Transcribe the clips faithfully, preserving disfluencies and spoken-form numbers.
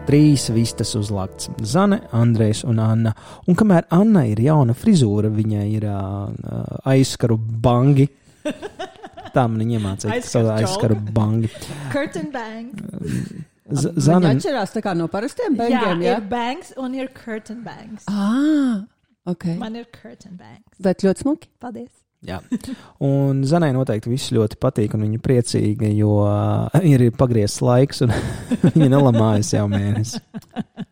trīs vistas uzlakts. Zane, Andrejs un Anna. Un kamēr Anna ir jauna frizūra, viņai ir uh, aizskaru bangi. Tā man iemācīja, ka savu aizskaru bangi. Curtain bangs. Z- Zane... Viņi atšķirās tā kā no parastiem bangiem, jā? Jā, ir bangs un ir curtain bangs. Ah, ok. Man ir curtain bangs. Bet ļoti smuki. Paldies. Jā, un Zanai noteikti viss ļoti patīk, un viņa priecīga, jo uh, ir pagriezts laiks, un viņa nelamājas jau mēnesi.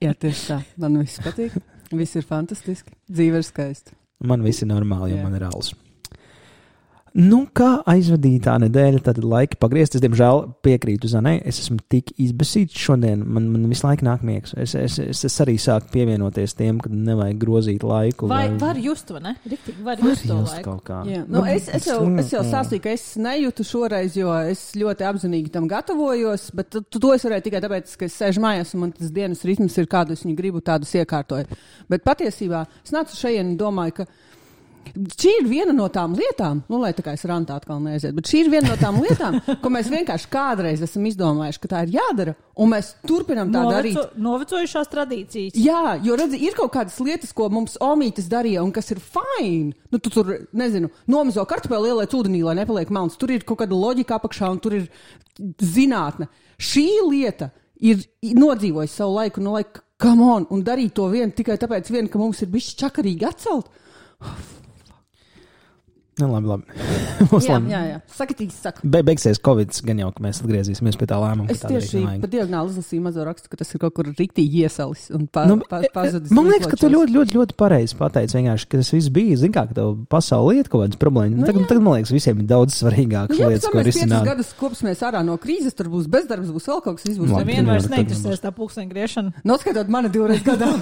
Jā, tieši tā. Man viss patīk. Viss ir fantastiski. Dzīve ir skaista. Man viss ir normāli, jo Jā. man ir alus. Nu, kā aizvadītā nedēļa, tad laika pagriezt. Es, diemžēl, piekrītu Zanai. Es esmu tik izbesīts šodien. Man, man visu laiku nāk miegs. Es, es, es, es arī sāku pievienoties tiem, kad nevajag grozīt laiku. Vai vai... var just to, ne? Riktīgi, var Var just to just laiku. kaut kā. Jā. Nu, es, es, jau, es jau sāstīju, ka es nejūtu šoreiz, jo es ļoti apzinīgi tam gatavojos, bet tu, to es varēju tikai tāpēc, ka es sēžu mājās un man tas dienas ritms ir kādu, es viņu gribu tādus iekārtoju. Bet patiesībā es nācu šajien un domāju, ka šī ir viena no tām lietām, nu, lai tā kā es rantā atkal neaiziet, bet šī ir viena no tām lietām, ko mēs vienkārši kādreiz esam izdomājuši, ka tā ir jādara, un mēs turpinam tā Noveco, darīt. Novecojušās tradīcijas. Jā, jo redzi, ir kaut kādas lietas, ko mums omītes darīja, un kas ir fine. Nu, tu tur, nezinu, nomizo kartupeli ieliec ūdenī, lai nepaliek melns. Tur ir kaut kāda loģika apakšā, un tur ir zinātne. Šī lieta ir nodzīvojusi savu laiku, no laika, come on, un darīt to vien tikai tāpēc, vien, ka mums ir bišķi čakarīgi atcelt. Nu, labi, labi. jā, jā, jā. Sakatīgi saka. Be, beigsies Covid, gan jau, ka mēs atgriezīsimies pie tā lēmuma. Es tieši pa diagonāli izlasīju mazo rakstu, ka tas ir kaut kur riktīgi iesalis un pa, nu, pa, pazudis. Man liekas, ka tu ļoti, ļoti, ļoti pareizi pateici vienkārši, ka tas viss bija, zin kā, ka tev pasauli lieta kaut kādas problēmas. Nu, tagad, tagad, man liekas, visiem ir daudz svarīgākas nu, jā, lietas, ko risināt. Jā, gadus kopsimies ārā no krīzes, tur būs bezdarbs, būs vēl kaut kas, viss būs. Nevien vairs neinteresēs tā pulksteņa griešana. Noskatot mani divreiz gadā.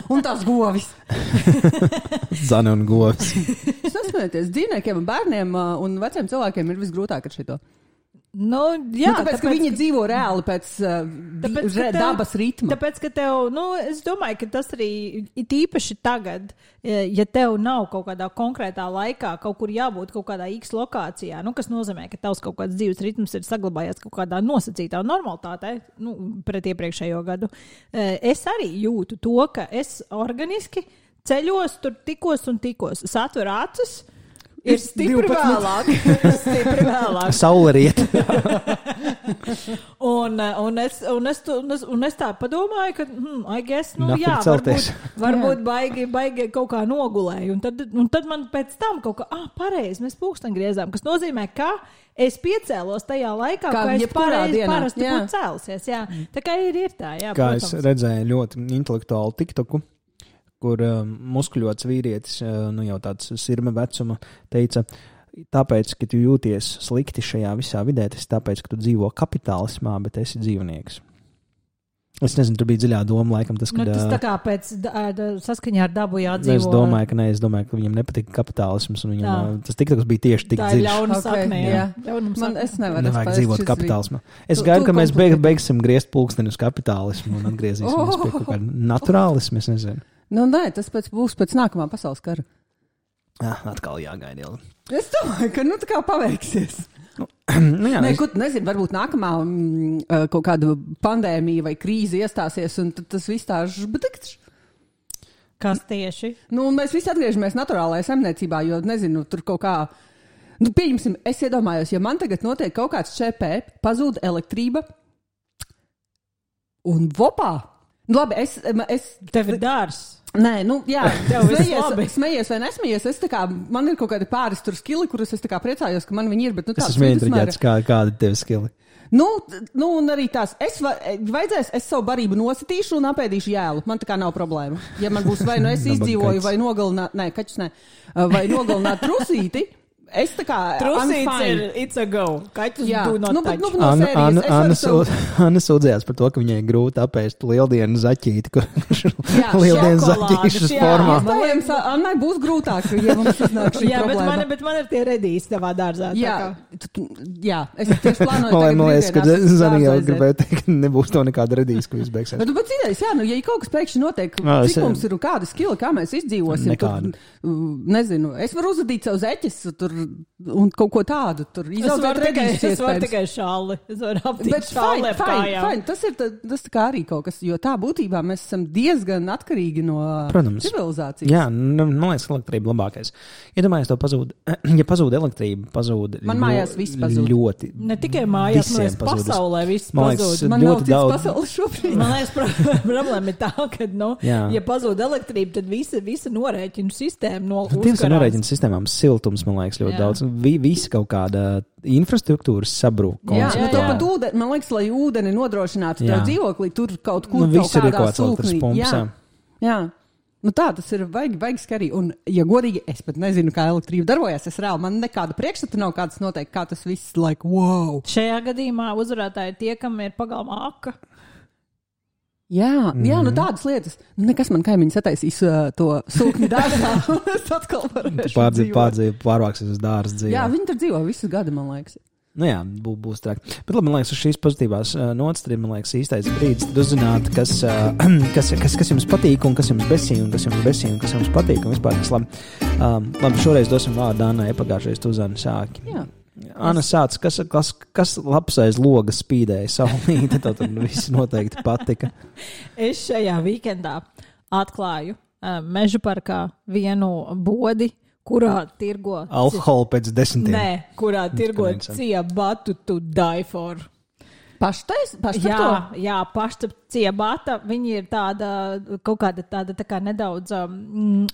Un tās govis. Zane un govis. Sasmēties, dzīvniekiem un bērniem un veciem cilvēkiem ir visgrūtāk ar šito. Nu, jā, nu, tāpēc, tāpēc, ka viņi ka... dzīvo reāli pēc, tāpēc, re, tev, dabas ritma. Tāpēc, ka tev, nu, es domāju, ka tas arī ir īpaši tagad, ja tev nav kaut kādā konkrētā laikā kaut kur jābūt kaut kādā X lokācijā, nu, kas nozīmē, ka tavs kaut kāds dzīves ritms ir saglabājies kaut kādā nosacītā normalitātē, nu, pret iepriekšējo gadu. Es arī jūtu to, ka es organiski ceļos tur tikos un tikos. Es atveru acis, ir stipri vēlāk. stipri vēlāk. Saule riet. un, un, es, un, es, un, es, un es tā padomāju, ka, hmm, I guess, nu Nafik jā, celties. varbūt, varbūt baigi, baigi kaut kā nogulēju. Un tad, un tad man pēc tam kaut kā, ah, pareizi, mēs pulksteni griezām, kas nozīmē, ka es piecēlos tajā laikā, kā ka es pareizi dienā. parasti Jā. būtu cēlusies. Jā. Tā kā ir, ir tā, jā, Kā protams. es redzēju ļoti intelektuālu tiktoku, kur uh, muskuļots vīrietis, uh, nu jau tāds sirma vecuma, teica, tāpēc, ka tu jūties slikti šajā visā vidē, tas tāpēc, ka tu dzīvo kapitālismā, bet esi dzīvnieks. Es nezinu, tur bija dziļā doma, laikam tas, ka... Nu, tas tā kā pēc da, da, saskaņā ar dabu jādzīvo. Es domāju, ka ne, es domāju, ka viņam nepatika kapitālisms, un viņam, uh, tas tiktoks bija tieši tik tā dziļš. dziļš. Tā ir ļauna Okay, sakne, jā. jā. Ļaunuma Man, sakne. es nevaru. Nevajag es dzīvot šis kapitālismā. Es Tu- gaidu, tu ka mēs beig, komplikē. beigsim griezt pulksteni uz kapitālismu un atgriezīsimies pie kaut kāda naturālismu, es nezinu. Nu, nē, tas pēc, būs pēc nākamā pasaules kara. Ah, atkal jāgaida ilgi. Es domāju, ka nu tā kā paveiksies. Nu, jā, Nē, es- kur, nezinu, varbūt nākamā mm, kaut kāda pandēmija vai krīze iestāsies, un tad tas viss tā žbdikts. Kas tieši? Nu, un mēs visi atgriežamies naturālajā saimniecībā, jo, nezinu, tur kaut kā, nu, pieņemsim, es iedomājos, ja man tagad notiek kaut kāds ČP, pazūd elektrība, un vopā, nu, labi, es, es Tev ir dārs. Nē, nu, jā, Tev viss labi. smejies, smejies vai nesmejies. Es tā kā, man ir kaut kādi pāris tur skili, kurus es tā kā priecājos, ka man viņi ir, bet, nu, Es tāds esmu vidusmēra. ieinteresēts, kā, kāda ir tev skili. Nu, t- nu, un arī tās, es va, vajadzēs, es savu barību nositīšu un apēdīšu jēlu. Man tā kā nav problēma. Ja man būs vai nu es Nabaga izdzīvoju, kaķis. vai nogalināt, nē, kaķis nē, vai nogalināt trusīti, es tā kā, I'm Trusīts fine. ir it's a go. Kaķis Jā, do not nu, bet, nu, touch. no Anna, sērijas, Anna, es varu Anna, savu- sū- Anna sūdzējās par to, ka viņai grūti apēst lieldienu zaķīti, kurš ir Jā, lieldienu šokolādes, zaķīšas jā. formā. Iespējams, Annai būs grūtāk, ja mums iznāk šī Jā, bet problēma. man, bet man ir tie redīs tavā dārzā. tā Jā, kā. tu- tu- jā, es tieši plānoju Man tagad man liekas, ka brīvdienās uz Zani jau dārzu aiziet. gribēja teikt, ka nebūs to nekāda redīs, ko izbeigsies. Bet, bet idejas, jā, nu, ja kaut kas pēkšņi notiek, Jā, es- cik mums ir un kāda skila, kā mēs izdzīvosim, Nekāda. tur, uh, nezinu, es varu uzadīt savu zeķes, tur un kaut ko tādu. Tur izaudzēt redīšas iespējams. Es varu tikai šāli. Es varu aptīt šāli ap kājām. Tas ir tā, tas tā kā arī kaut kas, jo tā būtībā mēs esam diezgan atkarīgi no Protams. civilizācijas. Jā, man liekas, elektrība labākais. Iedomājies, to pazūd, ja pazūd elektrība, pazūd Man mājās viss pazūd. ļoti. Ne tikai mājās, man liekas, pasaulē viss pazūd. Man nav cits daudz... pasaules šobrīd. Man liekas, problēma ir tā, ka, nu, Jā. ja pazūd elektrība, tad visa, visa norēķinu sistēma no uzkarās. Tieši norēķinu sistēmām siltums, man liekas, ļoti jā. daudz. Vi, visa kaut kāda infrastruktūras sabrūk. Jā, jā, jā. Pat ūdeni, man liekas, lai ūdeni nodrošinātu tev dzīvoklī, tur kaut kur nu, kaut kādā sūknī. Pumps, jā. jā. Nu tā, tas ir vajag, vajag skarī. Un, ja godīgi, es pat nezinu, kā elektrība darbojas. Es reāli, man nekāda priekšstata nav kāds noteikti, kā tas viss, like, wow. Šajā gadījumā uzvarētāji tie, kam ir pagalma aka. Jā, mm. jā, nu tādas lietas. Nekas man kaimiņš sataisīs uh, to sūkņu dārzā. Es atkal varēšu pārdzīv, pārdzīv, pārvāksies uz dārza dzīvi. Jā, viņi tur dzīvo visu gadu, man liekas. Nu jā, bū, būs trāk. Bet labi, man liekas, uz šīs pozitīvās uh, nots, tad, man liekas, īstais brīdis, tad uzzināt, kas, uh, kas, kas, kas jums patīk un kas jums besī un kas jums besī un kas jums patīk un vispār kas labi. Um, labi, šoreiz dosim vārdu Annai, pagājušais tu Zani sāki. Jā. Anna sāc, kas, kas, kas labs aiz loga spīdēja saulīti, tad viss noteikti patika. Es šajā weekendā atklāju uh, meža parkā vienu bodi, kurā tirgo... Alkoholu pēc desmitiem. Nē, kurā tirgo ciabatu to die for. Paštais? Paštap jā, to? jā, paštap ciabata. Viņi ir tāda, kaut kāda tāda tā kā nedaudz... Um,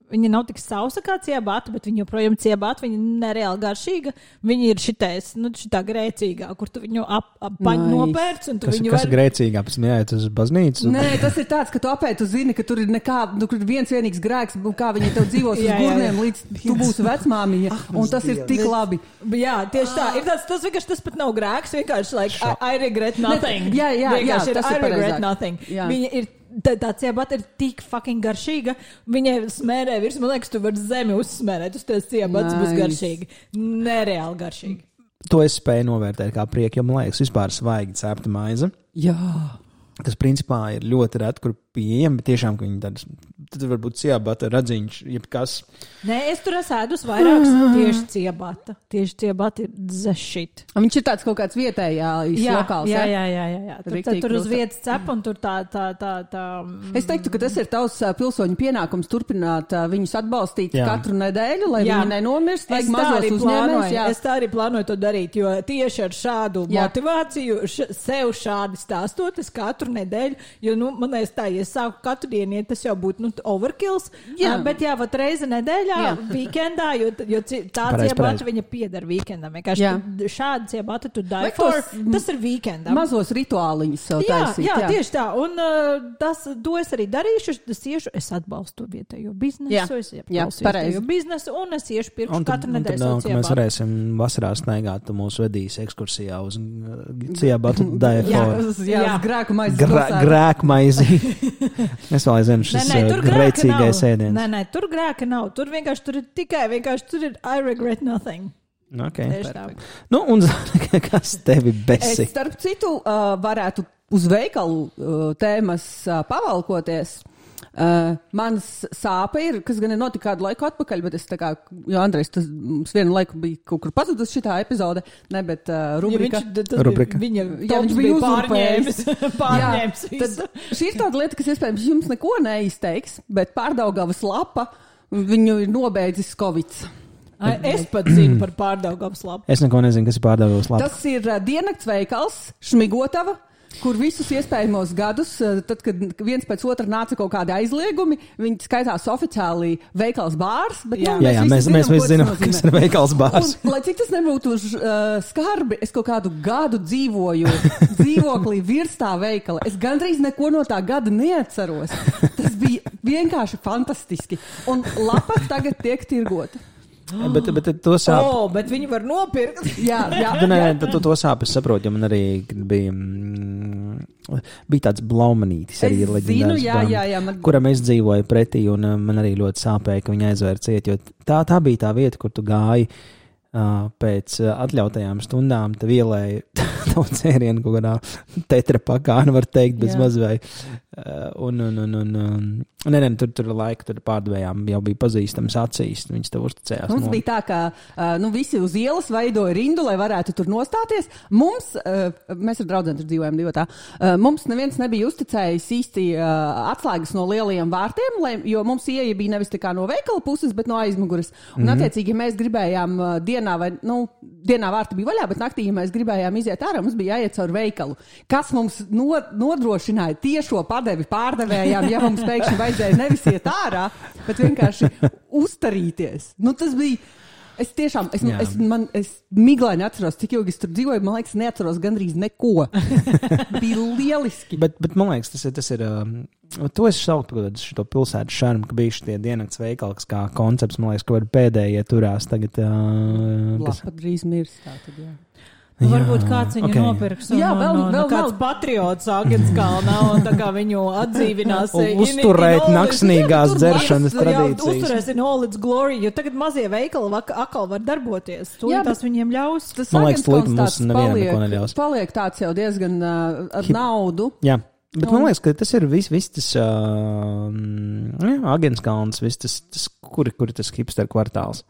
Viņa nav tik sausa kā ciabata, bet viņa joprojām ciabata. Viņa nereāli garšīga. Viņa ir šitais, nu, šitā grēcīgā, kur tu viņu ap, ap, nice. nopērc. Un tu kas viņu kas var... ir grēcīgā? Pēc tam jāiet uz baznīcu? Nē, tas ir tāds, ka tu apēji, tu zini, ka tur ir nekā, nu, kur viens vienīgs grēks, kā viņi tev dzīvos uz gurniem, līdz tu būsi vecmāmiņa. Un tas ir tik labi. Jā, tieši tā. Ir tāds, tas vienkārši tas pat nav grēks. Vienkārši, like, I, I regret nothing. Ne, jā, jā, jā, ir, tas I ir regret pareizāk. nothing. Jā. Viņa ir Tā, tā ciabata ir tik fucking garšīga. Viņai smērē virs, man liekas, tu vari zemi uzsmērēt. Uz tās ciabatas nice. Būs garšīgi. Nereāli garšīgi. To es spēju novērtēt kā prieku, jo man liekas, vispār svaigi cepta maize. Jā. Kas principā ir ļoti reti, kur pieejami, bet tiešām, ka viņi tādas, tad varbūt ciabata, radziņš, jebkas. Nē, es tur esmu ēdus vairākas tieši ciabata. Tieši ciabata ir zešit. Viņš ir tāds kaut kāds vietējā lokāls. Jā, jā, jā, jā, jā. Tur, tā, tur uz vietas cep un tur tā, tā, tā, tā. Es teiktu, ka tas ir tavs pilsoņu pienākums turpināt viņus atbalstīt jā. Katru nedēļu, lai jā. Viņi nenomirst, vajag mazos uzņēmējus. Es tā arī plānoju to darīt, jo tieši ar šādu jā. Motivāciju, š, sev šādi stāstot, es katru nedēļu, jo, nu, man liekas tā, ja es sāku katru dienu, ja tas jau būtu, nu, overkills, jā. Uh, bet jā, vat reize nedēļā, jā. Weekendā, jo, jo tā pareiz, ciabata pareiz. Viņa piedara weekendam. Vienkārši šāda ciabata tu die for, tas ir weekendam. Mazos rituāliņus sev jā, taisīt. Jā, jā, tieši tā. Un uh, tas, to es arī darīšu. Es iešu, es atbalstu vietējo biznesu, jā. Es atbalstu vietējo biznesu, un es iešu pirkšu katru nedēļu savu ciabatu. Mēs varēsim vasarā snaigāt, tu mūs vedīs ekskursijā uz ciabatu die for. Jā, jā, uz grēku maizi. Grēku maizi. Es vēl aizvienu šis grēcīgais ēdiens. Nē, nē, tur grēka nav. Tur vienkārši tur ir tikai, vienkārši tur ir I regret nothing. Okay, nu, un kas tevi besi? Es, starp citu, uh, varētu uz veikalu uh, tēmas uh, pavalkoties. Uh, mans sāpe ir, kas gan ir notika kādu laiku atpakaļ, bet es tā kā, jo Andrejs, tas mums vienu laiku bija kaut kur pazudus šitā epizode, ne, bet uh, rubrika. Ja viņš, rubrika. Viņa, jā, viņš bija pārņēmis. pārņēmis jā, tad šī ir tāda lieta, kas iespējams jums neko neizteiks, bet Pārdaugavas lapa viņu ir nobeidzis Covids. Ai, es pat zinu par Pārdaugavas lapu. Es neko nezinu, kas ir Pārdaugavas lapa. Tas ir uh, diennakts veikals, Šmigotava, kur visus iespējamos gadus, tad, kad viens pēc otra nāca kaut kādi aizliegumi, viņi skaitās oficiāli veikals bārs. Bet, jā, nu, jā, jā, mēs, zinām, mēs visi zinām, kas ir veikals bārs. Un, lai cik tas nebūtu uh, skarbi, es kaut kādu gadu dzīvoju dzīvoklī virs tā veikala. Es gandrīz neko no tā gada neatceros. Tas bija vienkārši fantastiski. Un lapa tagad tiek tirgota. Bet, bet to sāp... Oh, bet viņi var nopirkt. jā, jā. Nē, to, to sāp es saprotu, jo man arī bija, mm, bija tāds blaumanītis arī leģendārs, jā, jā, jā, man... kuram es dzīvoju pretī, un uh, man arī ļoti sāpēja, ka viņi aizvēra ciet, jo tā, tā bija tā vieta, kur tu gāji uh, pēc uh, atļautajām stundām, tev ielēja tavu cērienu kaut kādā tetrapakā, nu var teikt, bez maz vai Un, un, un, un, un nē, nē, tur, tur laika tur pārdevējām jau bija pazīstams acīs, viņas tev uzticējās. Mums no... bija tā, ka uh, nu, visi uz ielas veidoja rindu, lai varētu tur nostāties. Mums, uh, mēs ar draudzentu dzīvojam divi tā, uh, mums neviens nebija uzticējis īsti uh, atslēgas no lielajiem vārtiem, lai, jo mums ieeja bija nevis tā kā no veikala puses, bet no aizmuguras. Un mm-hmm. attiecīgi, ja mēs gribējām uh, dienā vai, nu, dienā vārti bija vaļā, bet naktī, ja mēs gribējām iziet ārā, mums bija jāiet caur veikalu. Kas mums no, nodrošināja tiešo padevi pārdevējām, ja mums pēkšņi vajadzēja nevis iet ārā, bet vienkārši uztarīties. Nu, tas bija, es tiešām, es, es, man, es miglaini atceros, cik ilgi es tur dzīvoju, man liekas, neatceros gandrīz neko. Bija lieliski. Bet, bet man liekas, tas ir, tas ir um, to es saukt par šo pilsētu šarmu, ka bija šitie diennakts veikali, kas kā koncepts, man liekas, ka var pēdējie turās tagad. Uh, kas... Lapa drīz mirs, tā tad jā. Nu, varbūt kāds viņu okay. nopirks un jā, vēl, no, no, vēl, kāds vēl. Patriots Agenskalnā un tā kā viņu atdzīvinās. Uzturēt naksnīgās dzeršanas tradīcijas. Uzturēs in all its glory, jo tagad mazie veikali atkal var darboties. To jā, tas viņiem ļaus. Tas man liekas, līdz mums nevienam neko neļaus. Paliek tāds jau diezgan uh, ar naudu. Jā. Bet un... man liekas, ka tas ir viss vis tas uh, jā, Agenskalns, viss tas, tas kuri, kuri tas hipster kvartāls.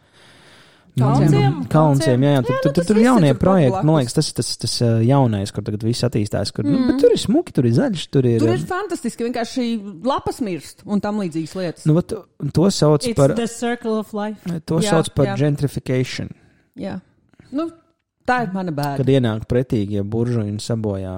Kalnciem? Kalnciem, jā, jā. Tur, jā, tur, tur, tur jaunie projekti, man liekas, tas ir tas, tas jaunais, kur tagad viss attīstās. Kur, mm. nu, bet tur ir smuki, tur ir zaļš, tur ir... Tur ir fantastiski, vienkārši lapas mirst un tam līdzīgas lietas. Nu, to, to sauc It's par... the circle of life. To jā, sauc par jā. gentrification. Jā. Nu, tā ir mana bēda. Kad ienāk pretīgi, ja buržuļi sabojā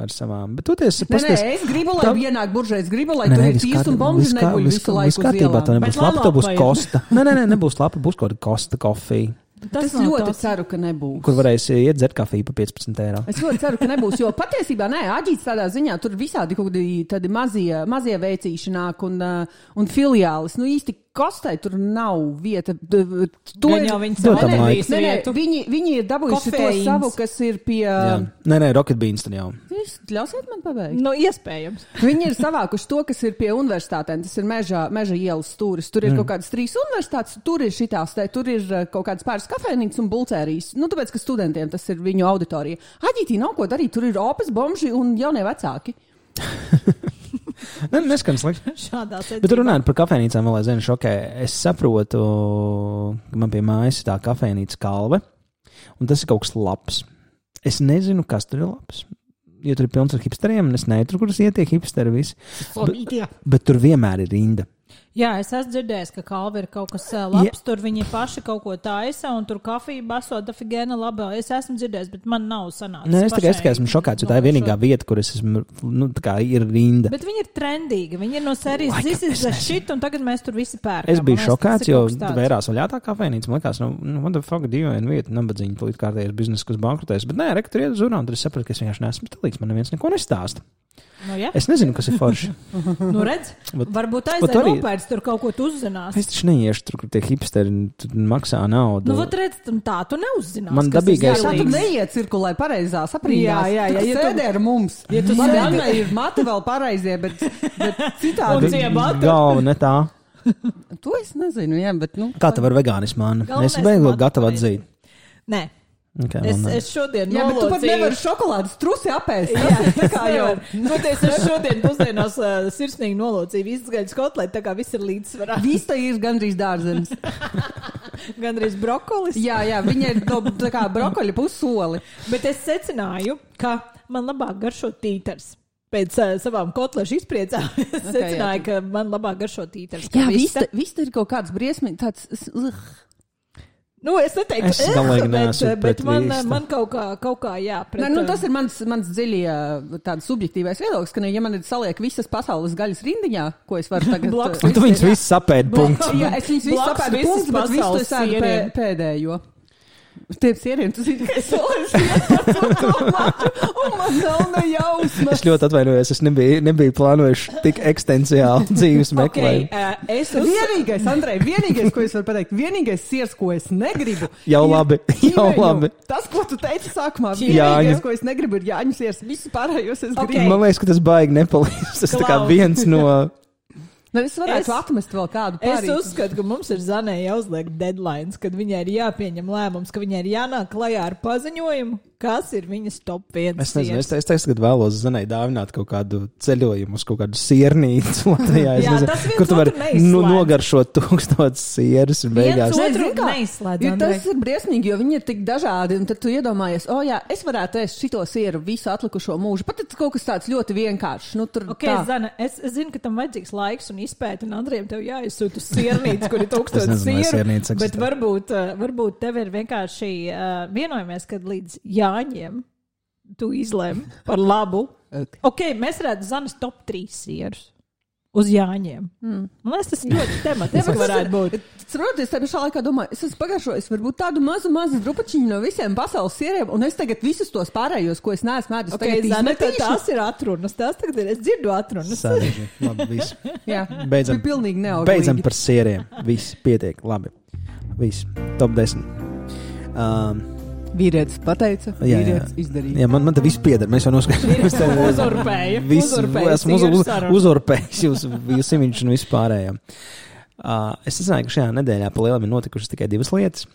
ar savām. Bet toties, nē, pasties, nē, es gribu, lai tā... ienāk buržuļi, es gribu, lai nē, tur ir tīrs un bombži neguļ visu laiku uz ielām. Tā nebūs lapa, tā būs kosta. Nē, nē, nē, nebūs lapa, būs kaut kāda kosta kofija. Tas es ļoti tos... ceru, ka nebūs. Kur varēs iet dzert kafiju par piecpadsmit eiro. Es ļoti ceru, ka nebūs, jo patiesībā, nē, Aģīts tādā ziņā tur visādi kaut kādi tādi mazie, mazie veicīšanāk un, uh, un filiālis. Nu īsti kostai tur nav vieta. To ir jau viņi savu nē, nē, viņi, viņi ir dabūjuši to savu, kas ir pie... Jā. Nē, nē, Rocket Beans tur jau. Jūs ļausiet man pabeigt? Nu, iespējams. Viņi ir savākuši to, kas ir pie universitātēm. Tas ir meža, meža ielas stūris. Tur ir mm. kaut kādas trīs universitātes, tur ir šitās, te, tur ir kaut kādas pāris kafēnītes un bulcērijas. Nu, tāpēc, ka studentiem tas ir viņu auditorija. Aģītī nav ko darīt, tur ir opas, bomži un jaunie vecāki. Ne, neskan slikti. Bet runājot par kafēnīcām, vēl aizvien šokē. Es saprotu, ka man pie mājas ir tā kafēnīca Kalve, un tas ir kaut kas labs. Es nezinu, kas tur ir labs. Jo tur ir pilns ar hipsteriem, un es neturu, kuras ietiek hipsteri visi. Bet, bet tur vienmēr ir rinda. Jā, es esmu dzirdējis, ka Kalve ir kaut kas labs, ja. Tur viņi paši kaut ko taisa, un tur kafija baso dafigēna labā. Es esmu dzirdējis, bet man nav sanācis. Nē, es tikai, es tikai esmu šokāts, jo tā ir vienīgā vieta, kur es esmu, nu, tā kā ir rinda. Bet viņi ir trendīgi, viņi ir no sērijas this is the shit, un tagad mēs tur visi pērkam. Es biju šokāts, jo vērās vaļā tā kafēnīca, man likās, nu, what the fuck, dīvaina vieta, nabadzīņa, tūlīt kārtējies biznesa, kas bankrotēs, bet nē, rek, tur iet uz urā, un tur es sapratu, ka es vienkārši neesmu stilīgs, man neviens neko nestāsta. Nu, ja. Es nezinu, kas ir forši. Nu, redz, bet, varbūt aizdēļ arī... nopērts tur kaut ko tu uzzinās. Es taču neiešu tur, kur tie hipsteri maksā naudu. Nu, vat redz, tā tu neuzzinās. Man dabīgais... Jā, tu neiet cirkulē pareizā saprīdās. Jā, jā, jā. Tu ja sēdē ar mums. Ja tu man sēdē ir mati vēl pareizie, bet, bet citādi... Un ciemata. Galva ne tā. To es nezinu, jā, bet nu... Kā tev ar veganismu, Anna? Es beigot gatavu atzīt. Nē. Okay, es, es šodien jā, nolodzīju... bet tu pat nevari šokolādes trusi apēst. Jā, tā kā jau. Toties, es šodien pusdienās uh, sirsnīgi nolodzīju visas gaļas kotleti, tā kā viss ir līdzsvarā. Viss tā ir gandrīz dārzenis. Gandrīz brokolis. Jā, jā, viņa ir no, tā kā brokoļa pussoli. Bet es secināju, ka man labāk garšo tītars. Pēc uh, savām kotlešu izpriecām es okay, secināju, jā. Ka man labāk garšo tītars. Jā, viss tā ir kaut kāds briesmīgi tāds... Uh. Nu, es neteiktu, es galīgi bet, bet man, man kaut kā, kaut kā jā. Pret, ne, nu, tas ir mans, mans dziļi tāds subjektīvais viedoklis, ka, ne, ja man ir saliek visas pasaules gaļas rindiņā, ko es varu tagad... Un tu viņus visus sapēdi punkts. Jā, es viņus visus sapēdi punkts, bet visu es sēdu pē, pēdējo. Tiem sieriem, tu zini, ka es un man nav nejausmas. Es ļoti atvainojos, es nebiju, nebiju plānojuši tik ekstensiāli dzīves meklējumu. Okay, uh, es uz... Vienīgais, Andrej, vienīgais, ko es varu pateikt, vienīgais siers, ko es negribu. Jau labi, jau labi. Tas, ko tu teici sākumā, vienīgais, ko es negribu, ir Jāņu siers. Visu pārējos es okay. gribu. Man liekas, ka tas baigi nepalīdz. Tas tā kā viens no... Nu, es varētu es, atmest vēl kādu pārīti. Es uzskatu, ka mums ir Zanē jāuzliek deadlines, kad viņai ir jāpieņem lēmums, ka viņai ir jānāk klajā ar paziņojumu, Kas ir viņas top viens? Es nezinu, es, es tagad vēlos Zanai dāvināt kaut kādu ceļojumu uz kaut kādu siernīcu Latvijā. Jā, nezinu, tas viens kur tu vari otru nu, nogaršot tūkstotis sieras un beigās. Viens otru Nezinu, kā, neizslēdz, jo Andrej. tas ir briesmīgi, jo viņi ir tik dažādi, un tad tu iedomājies, o jā, es varētu ēst šito sieru visu atlikušo mūžu. Pat tas kaut kas tāds ļoti vienkāršs. Nu, tur Ok, tā. Zana, es, es zinu, ka tam vajadzīgs laiks un izpēta, un Andrejam tev jāizsūt uz siernīcu, kur ir Es tūkstotis nezinu, vai sieru. siernīca Bet eksistē. varbūt, uh, varbūt tev ir vienkārši uh, vienojamies, kad līdz Jāņiem tu izlēmi par labu. Ok. Ok, mēs redzam Zanas top trīs sierus uz Jāņiem. Mm. Man liekas, tas ļoti tematiski varētu būt. Saprotiet, es pašā laikā domāju, es esmu pagaršojis varbūt tādu mazu, mazu drupačiņu no visiem pasaules sieriem, un es tagad visus tos pārējos, ko es neesmu ēdis, Ok, tagad Zana, tad izmetīšu. tās ir atrunas. Tās tagad ir, es dzirdu atrunas. Sādīgi. Labi, viss. Jā, Beidzam. bija pilnīgi neauglīgi. Beidzam par sieriem. Viss pietiek. Labi. Viss. Top desmit. Um, Vīrietis pateica, Jā, jā. vīrietis izdarīja. jā, man, man te viss pieder. Mēs jau noskaidrojām. Uzurpēja. Viss, Uzurpēja esmu uz, sieru uz, sarunu. uzurpējis jūs, jūs imiņš un viss pārējām. Uh, es zināju, ka šajā nedēļā pa lielam ir notikušas tikai divas lietas.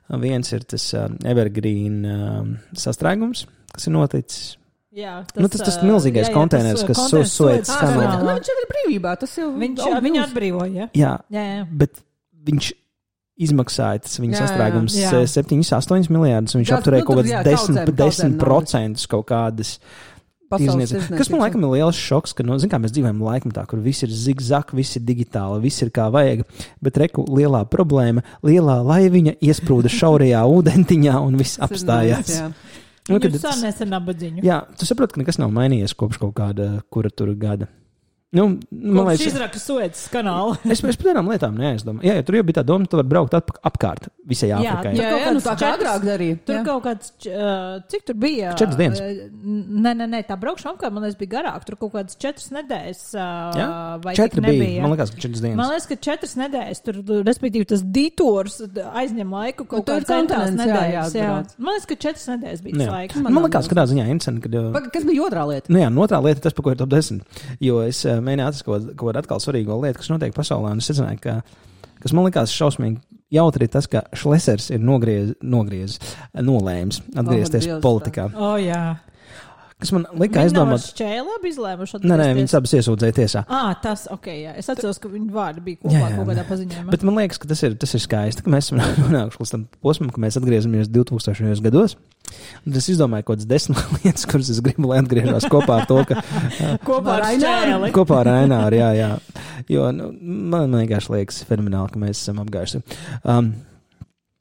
Uh, viens ir tas uh, Evergreen uh, sastrēgums, kas ir noticis. Jā, Nu, tas- tas ā, milzīgais jā, jā, konteiners, tas, kas ā, Su- konteiners Suez Suez kanālā. kanālā. Nu, viņš jau ir brīvībā, tas jau Viņš oh, viņu jūs- atbrīvoja. Jā, Jā, jā. bet viņš izmaksāja tas viņa Jā, jā, sastrēgums jā. septiņus, astoņus miljārdus, un viņš Jā, apturēja nu, kaut tur, kāds jā, desmit kaudzēm, kaudzēm procentus kaut kādas. pasaules tirzniecības. tirzniecības. Kas man laikam ir liels šoks, ka, nu, zin kā mēs dzīvojam laikmetā, kur viss ir zigzag, viss ir digitāli, viss ir kā vajag, bet reku lielā problēma, lielā laiviņa iesprūda šaurajā ūdentiņā un viss Tas ir apstājās. nice, jā. Nu, kad Jūs tas- sanēs ar nabadziņu. Jā, tu saproti, ka nekas nav mainījies kopš kaut kāda, kura tur gada. Nu, man Kopš liekas, izraka Suecas kanāla. es, es par tādām lietām neaizdomāju. Jā, ja tur jau bija tā doma, tu vari braukt atp apkārt visai Jā, Āfrikai. Tur Jā, kaut jā, nu kāds tā kā četras- agrāk darīja. Tur jā. kaut kāds, uh, cik tur bija? Četras dienas. Uh, Nē, nē, nē, tā braukšana apkārt, man liekas, bija garāk. Tur kaut kādas četras nedēļas. Uh, Jā? vai Četri tik bija. nebija? Man liekas, ka četras dienas. Man liekas, ka četras nedēļas, tur, respektīvi, tas ditors aizņem laiku kaut Nu, tur ir kādas centrās kontinents, jā, nedēļas. Jā, jāatbrauc. Man liekas, ka četras nedēļas bija Nu, tas jā. laiks. Man liekas, ka tādā ziņā interesanti, ka. uh, Paga, kas bija otrā lieta? Nu jā, un otrā lieta, tas, par ko ir top desmit. Jo es uh, mēģināju atrast kaut ko- kaut kādu atkal svarīgu lietu, kas notiek pasaulē, un es secināju, ka, kas man likās šausmīgi jautri, ir tas, ka Šlesers ir nogriez, nogriez nolēms atgriezties Dievs, politikā. O, jā. Kas man lika Viņi nav aizdomāt. šķēli labi izlēmuši. Nē, nē, atgriezties? viņas abas iesūdzēja tiesā. Ah, tas, ok, jā. Es atceros, ka viņu vārdi bija Jā, kopā jā, kaut kādā nē. paziņojumā. Bet man liekas, ka tas ir, tas ir skaisti, ka mēs esam nonākuši līdz tam posmam, ka mēs atgriežamies divtūkstošajos gados. Un es izdomāju kaut kādas desmit lietas, kuras es gribu, lai atgriežos kopā ar to, ka Kopā ar šķēli. kopā ar Aināru, jā, jā. Jo nu, man, man vienkārši liekas fenomenāli, ka mēs esam apgājuši. Um,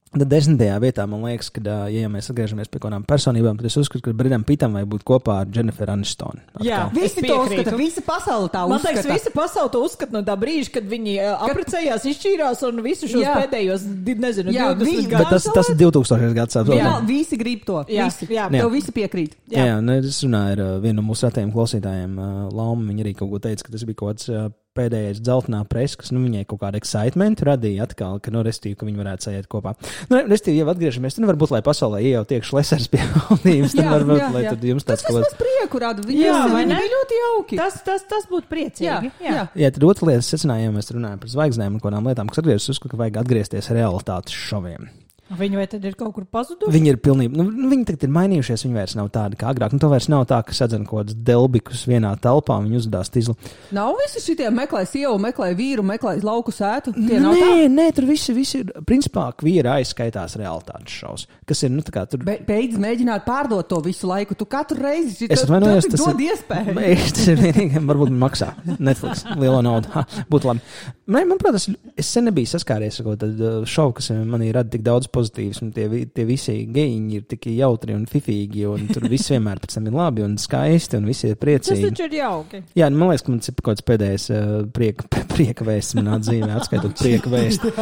Tad desmitajā vietā man liekas, ka, ā, ja mēs atgriežamies pie kaut kādām personībām, tad es uzskatu, ka Bredam Pitam vajag būt kopā ar Jennifer Aniston. Jā. Visi Es to piekrītu. uzskata, visa pasaule tā Man uzskata. liekas, visa pasaule to uzskata no tā brīža, kad viņi uh, apprecējās, izšķīrās un visu šos Jā. pēdējos, di- nezinu, Jā, divdesmit vi- Bet gadus. tas, tas ir divtūkstošais gads. Jā, saprotam? visi grib to. Jā, Visi. jā. Tev visi piekrīt. Jā, jā nu, es runāju ar uh, vienu no mūsu ratiem klausītājiem, uh, Lauma. Viņa arī kaut ko teica, ka tas bija kaut kāds uh, pēdējais dzeltenā presa, kas nu, viņai kaut kādu excitement radīja atkal, ka, nu, restīvi, ka viņi varētu sajiet kopā. Nu, restīvi, jau atgriežamies, tad varbūt, lai pasaulē jau tiek Šlesers pie valdības, tad Jā, varbūt, jā, lai jā. tad jums Tas tāds kaut vismaz kāds. prieku rada. Viņi, Jā, vai viņi ne? bija ļoti jauki. Tas, tas, tas būtu priecīgi. Jā, jā. Jā, tad otra lieta, secinājumā mēs runājam par zvaigznēm un kādām lietām, kas atgriežas, uzskatu, ka vajag atgriezties realitātes šoviem. Viņi vai tad ir kaut kur pazuduši? Viņi ir pilnīgi, nu, nu, viņi tagad ir mainījušies, viņi vairs nav tādi kā agrāk. Nu, to vairs nav tā, ka sadzen kaut kādus delbikus vienā telpā, viņi uzdās tīzlu. Nav visi šitie meklē sievu, meklē vīru, meklē lauku sētu. Tie nav tā. Nē, nē, tur visi, visi ir, principā, vīri aizskaitās realitātes šovs, kas ir, nu, tā kā tur. Be, beidz mēģināt pārdot to visu laiku. Tu katru reizi Es tu- atvainojos, tu tas dod ir- iespēju. Beigās tas ir vienīgi, varbūt man maksā Netflix lielo naudu. Ha, būtu labi. Man, manuprāt, es, es sen nebiju saskāries ar kaut tādu šovu, kas manī rada tik daudz pozitīvs, un tie, vi- tie visi gejiņi ir tik jautri un fifīgi, un tur viss vienmēr pēc tam ir labi un skaisti, un visi ir Tas priecīgi. taču ir jauki. Jā, nu, man liekas, ka man tas ir kaut kāds pēdējais uh, prieka, prieka vēsts manā dzīvē, atskaitot prieka vēstu.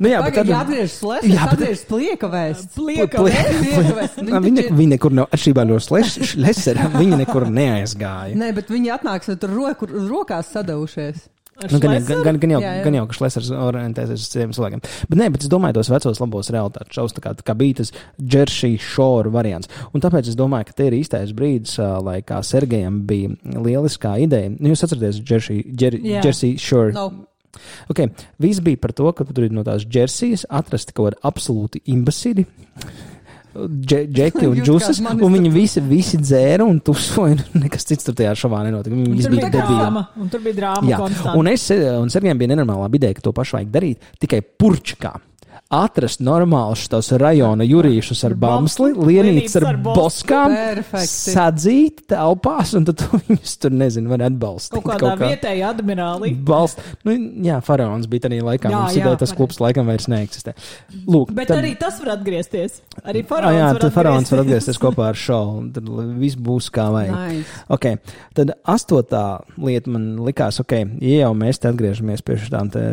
Nu, jā, bet Tagad tad... jāatgriežas slēdz, Jā, bet- atgriežas plieka vēsts. Plieka Pli- vēsts. Plieka vēsts. Nā, Viņi, ne, viņi nekur nav, atšķirībā no Šlesera, viņi nekur neaizgāja. Nē, bet viņi atnāks ar tur roku, rokās sadavušies. Nu, gan, jau- gan, gan, gan, jau, Jā, jā. gan jau, ka Šlesers orientēsies uz citiem cilvēkiem. Bet, nē, bet es domāju, tos vecos labos realitātes šovus, tā kā, tā kā bija tas Jersey Shore variants. Un tāpēc es domāju, ka te ir īstais brīdis, ā, lai kā Sergejam bija lieliskā ideja. Nu, jūs atceraties Jersey, Jer, Jā. Jersey Shore? No. Okay. Viss bija par to, ka tur ir no tās Jersejas atrasti kaut kādi absolūti imbasīdi. dže, džeki un džusas, un viņi visi, visi dzēra un tusoja, un nekas cits tur tajā šovā nenotika. Viņi visi bija debīli. Un tur bija drāma konstanta. Un es, un Sergejam bija nenormālā ideja, ka to pašu vajag darīt tikai purčkā. Atrast normālus tos rajona jurīšus ar bamsli, lienītes ar boskām, Perfekti. sadzīt telpās, un tad viņus tur, nezinu, var atbalstīt. Kaut kādā vietēja admirāli. Balst. Nu, jā, faraons bija tādā laikā, Jā, mums jā, ideja tas pareizi. klubs laikam vairs neeksistē. Lūk, Bet tad, arī tas var atgriezties. Arī ah, faraons jā, var tad faraons var atgriezties. atgriezties kopā ar šovu, un tad viss būs kā vajag. Nice. Okay. Tad astotā lieta man likās, ok, ja jau mēs te atgriežamies pie šādām te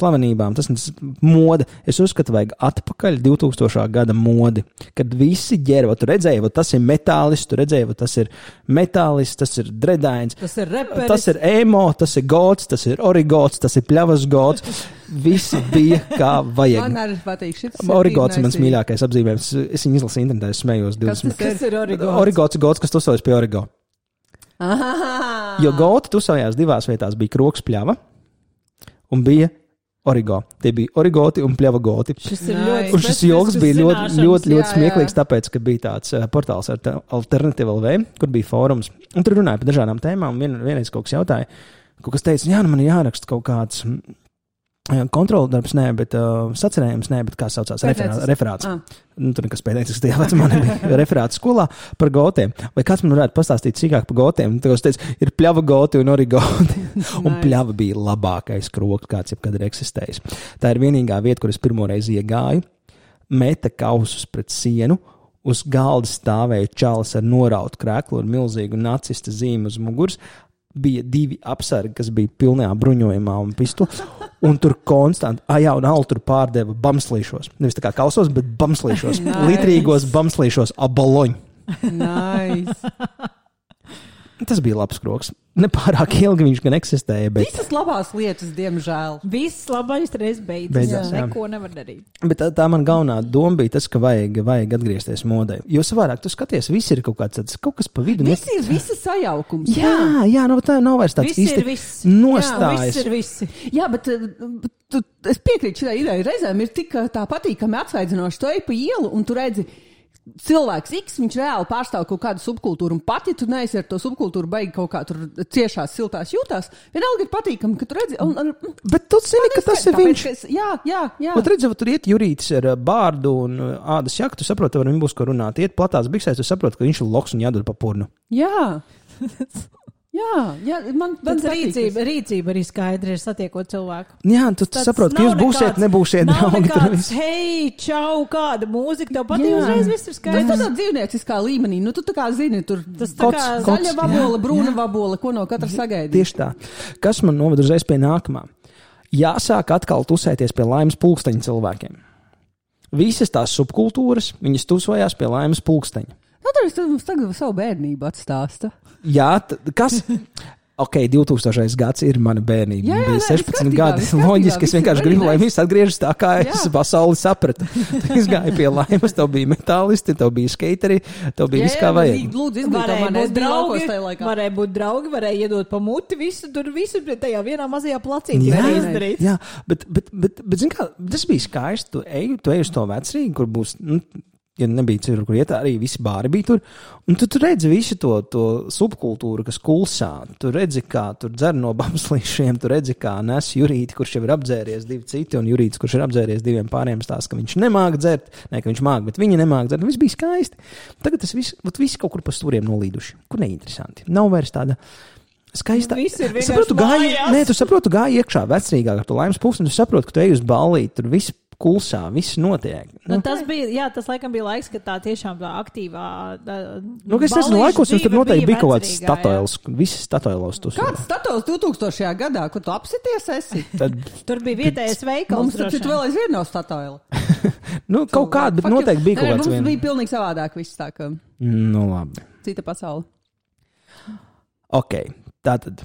slavenībām, tas ir moda. Es uzskatu, vajag atpakaļ divtūkstošā gada modi, kad visi ģēra, tu redzēji, va, tas ir metālis, tu redzēji, va, tas ir metālis, tas ir dredains, Tas ir reperis. tas ir emo, tas ir gods, tas ir origots, tas ir pļavas gods. Visi bija kā vajag. Man arī patīk šis. Origots ir mans mīļākais apzīmējums. Es viņu izlasīju internetā, es smējos divdesmit. Kas ir origots? Origots ir gods, kas tusojas pie origo. Aha. Jo goti tusojās divās vietās. Bija kroks pļava un bija origo. Tie bija origoti un pļava goti. Šis ir Nice. ļoti Un šis joks bija ļoti, zināšanas. ļoti, ļoti Jā, smieklīgs, jā. tāpēc, ka bija tāds uh, portāls ar Alternative L V, kur bija fórums. Un tur runāja par dažādām tēmām. Vien, vienreiz kaut kas jautāja, kaut kas teica, jā, nu man ir jāraksta kaut kāds kontrola darbs, nē, bet uh, sacerējums, nē, bet kā saucās, referā, referāts. Ah. Nu, tur nekas pēdējais, tajā vecumā nebija referāts skolā par gotiem. Vai kāds man varētu pastāstīt sīkāk par gotiem? Tad es teicu, ir pļava goti un origoti. Un Nice. pļava bija labākais kroks, kāds jebkad ir eksistējis. Tā ir vienīgā vieta, kur es pirmoreiz iegāju, meta kausus pret sienu, uz galda stāvēja čalis ar norautu krēklu ar milzīgu nacista zīmi uz muguras. Bija divi apsargi, kas bija pilnajā bruņojumā un pistoli. Un tur konstanti, ah, jā, un Altu tur pārdeva bamslīšos. Nevis tā kā kausos, bet bamslīšos. Nice. Litrīgos bamslīšos abaloņu. Nice. Tas bija labs kroks. Nepārāk ilgi viņš gan eksistēja, bet, Visas labās lietas, diemžēl. Viss labais reiz beidzas. Beidzās, jā. Neko nevar darīt. bet tā, tā man galvenā doma bija tas, ka vajag, vajag atgriezties modē. Jo savādāk tu skaties, viss ir kaut kāds tāds, kaut kas pa vidu. Viss ir visa sajaukums. Jā, jā, nu tā nav vairs tāds Viss ir īsti viss. nostājas. Viss ir visi. Jā, bet uh, tu, es piekrītu šai idejai. Reizēm ir tik uh, tā patīkami atsvaidzinoši. Tu ej pa ielu un tu redzi, cilvēks X, viņš reāli pārstāv kaut kādu subkultūru. Un pat, ja tu neesi ar to subkultūru baigi kaut kā tur ciešās, siltās jūtās, vienalga ir patīkami, ka tu redzi. Un, un, Bet tu zini, ka tas ir tāpēc, viņš. ka Es, jā, jā, jā. Un redzi, tur iet jurītis ar uh, bārdu un uh, ādas jaktu, tu saproti, ar viņu būs ko runāt. Iet platās biksēs, tu saproti, ka viņš ir loks un jādod pa purnu. Jā. Jā, jā, man, man Tad patīk rīcība, tas. rīcība arī skaidri ir satiekot cilvēku. Jā, tu Tas saproti, ka nav jūs būsiet, nekāds- nebūsiet nav draugi. tur nekāds, viss. hei, čau, kāda mūzika tev patīk, Jā. uzreiz viss ir Tas skaidrs. tādā dzīvnieciskā līmenī, nu tu tā kā zini, tur Tas tā Kots, kā kots. zaļa jā, vabola, brūna jā. vabola, ko no katra sagaidīt. Tieši tā. Kas man noved uzreiz pie nākamā? Jāsāk atkal tusēties pie laimes pulksteņa cilvēkiem. Visas tās subkultūras, viņas tusojās pie laimes pulksteņa. Nu, tad es mums tagad savu bērnību atstāstu. Jā, t- kas? Ok, divtūkstošais gads ir mana bērnība. Jā, jā, Bija nē, viss sešpadsmit kārtībā, gadi. viss kārtībā, Loģiski, es viss ir vienkārši very gribu, lai nice. viss atgriežas tā, kā es Jā. pasauli sapratu. Es gāju pie laimes, tev bija metālisti, tev bija skateri, tev bija viss kā vajag. Lūdzu, izglītā Varēja man, es būt biju laukos draugi, tajā laikā. varēja būt draugi, varēja iedot pa muti, visu tur, visu tajā vienā mazajā placītī Jā, varēja izdarīt. jā, bet, bet, bet, bet zin kā, tas bija skaisti. Tu ej, tu ej uz to vecrīgu, kur būs, nu, ja nebija citur, kur iet, arī visi bāri bija tur. Un tu, tu redzi visu to, to subkultūru, kas kulsā. Tu redzi, kā tur dzer no bamslīšiem, tu redzi, kā nes Jurīti, kurš jau ir apdzēries divi citi, un Jurītis, kurš ir apdzēries diviem pāriem stāsta, ka viņš nemāk dzert, ne, ka viņš māk, bet viņi nemāk dzert. Viss bija skaisti. Tagad tas viss, viss kaut kur pa stūriem nolīduši. Kur neinteresanti. Nav vairs tāda skaista. Viss ir vienkārši Saprotu, gāji, mājās. nē, tu saproti, gāji iekšā vecrīgā ar to laimes pulksteni, tu saproti, ka tu ej uz ballīti, tur viss kulsā, viss notiek. Nu, tas bija, jā, tas laikam bija laiks, kad tā tiešām tā aktīvā. Tā, Nu, es nezinu, laikos jums tur noteikti bija kaut kāds statoils, visi statoilos tus. Kāds status divtūkstošajā gadā, kur tu apsities esi? Tad, Tur bija vietējais veikals. Mums taču droši vēl aizvien nav statoila. nu, kaut kāda, bet noteikti bija kaut kāds Mums viens. bija pilnīgi savādāk viss tā, ka Nu, labi. cita pasaule. Ok, tātad.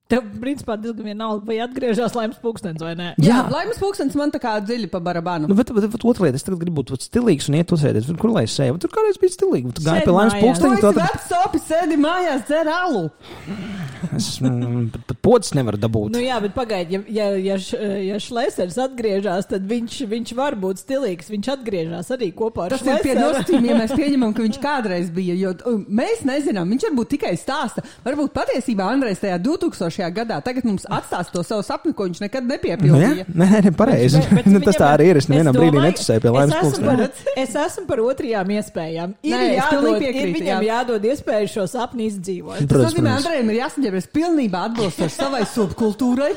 Tev, principā, diezgan vienalga, vai atgriežas Laimas pūkstens vai nē. Jā, Laimas pūkstens man tā kā dziļi pa barabānu. Nu, bet, bet, bet otra lieta, es tagad gribu būt stilīgs un iet uzsēties. Kur lai es sēju? Tur kādreiz bija stilīgi. Tu gāji pie Laimas pūksteņa. Tu esi vecs sopi, sēdi mājās, dzer alu. Es pat, pat podas nevaru dabūt. Nu jā, bet pagaidi, ja, ja, ja, š, ja Šlesers atgriežas, tad viņš, viņš var būt stilīgs. Viņš atgriežas arī kopā ar Tas ir pie Šleseru. nosacījumiem, ja mēs pieņemam, ka viņš kādreiz bija, jo uh, mēs nezinām, viņš varbūt tikai stāsta. Varbūt patiesībā Andrejs tajā divtūkstošajā gadā tagad mums atstās to savu sapni, ko viņš nekad nepiepildīja. Nu, jā, nē, nē, pareizi. Bet- bet Nu, tas tā arī ir. Es nevienā es brīdī domāju, netusēju pie Laimas es esmu pūksteņa. par- Es esmu par otrajām iespējām. Ir, Nē, es jādod, pilnīgi ir piekrītu, viņam jā. jādod iespēju šo sapni izdzīvot. Tas Protams, nozīmē, protams. Andrejam ir jāsaģēries pilnībā atbilstoši savai subkultūrai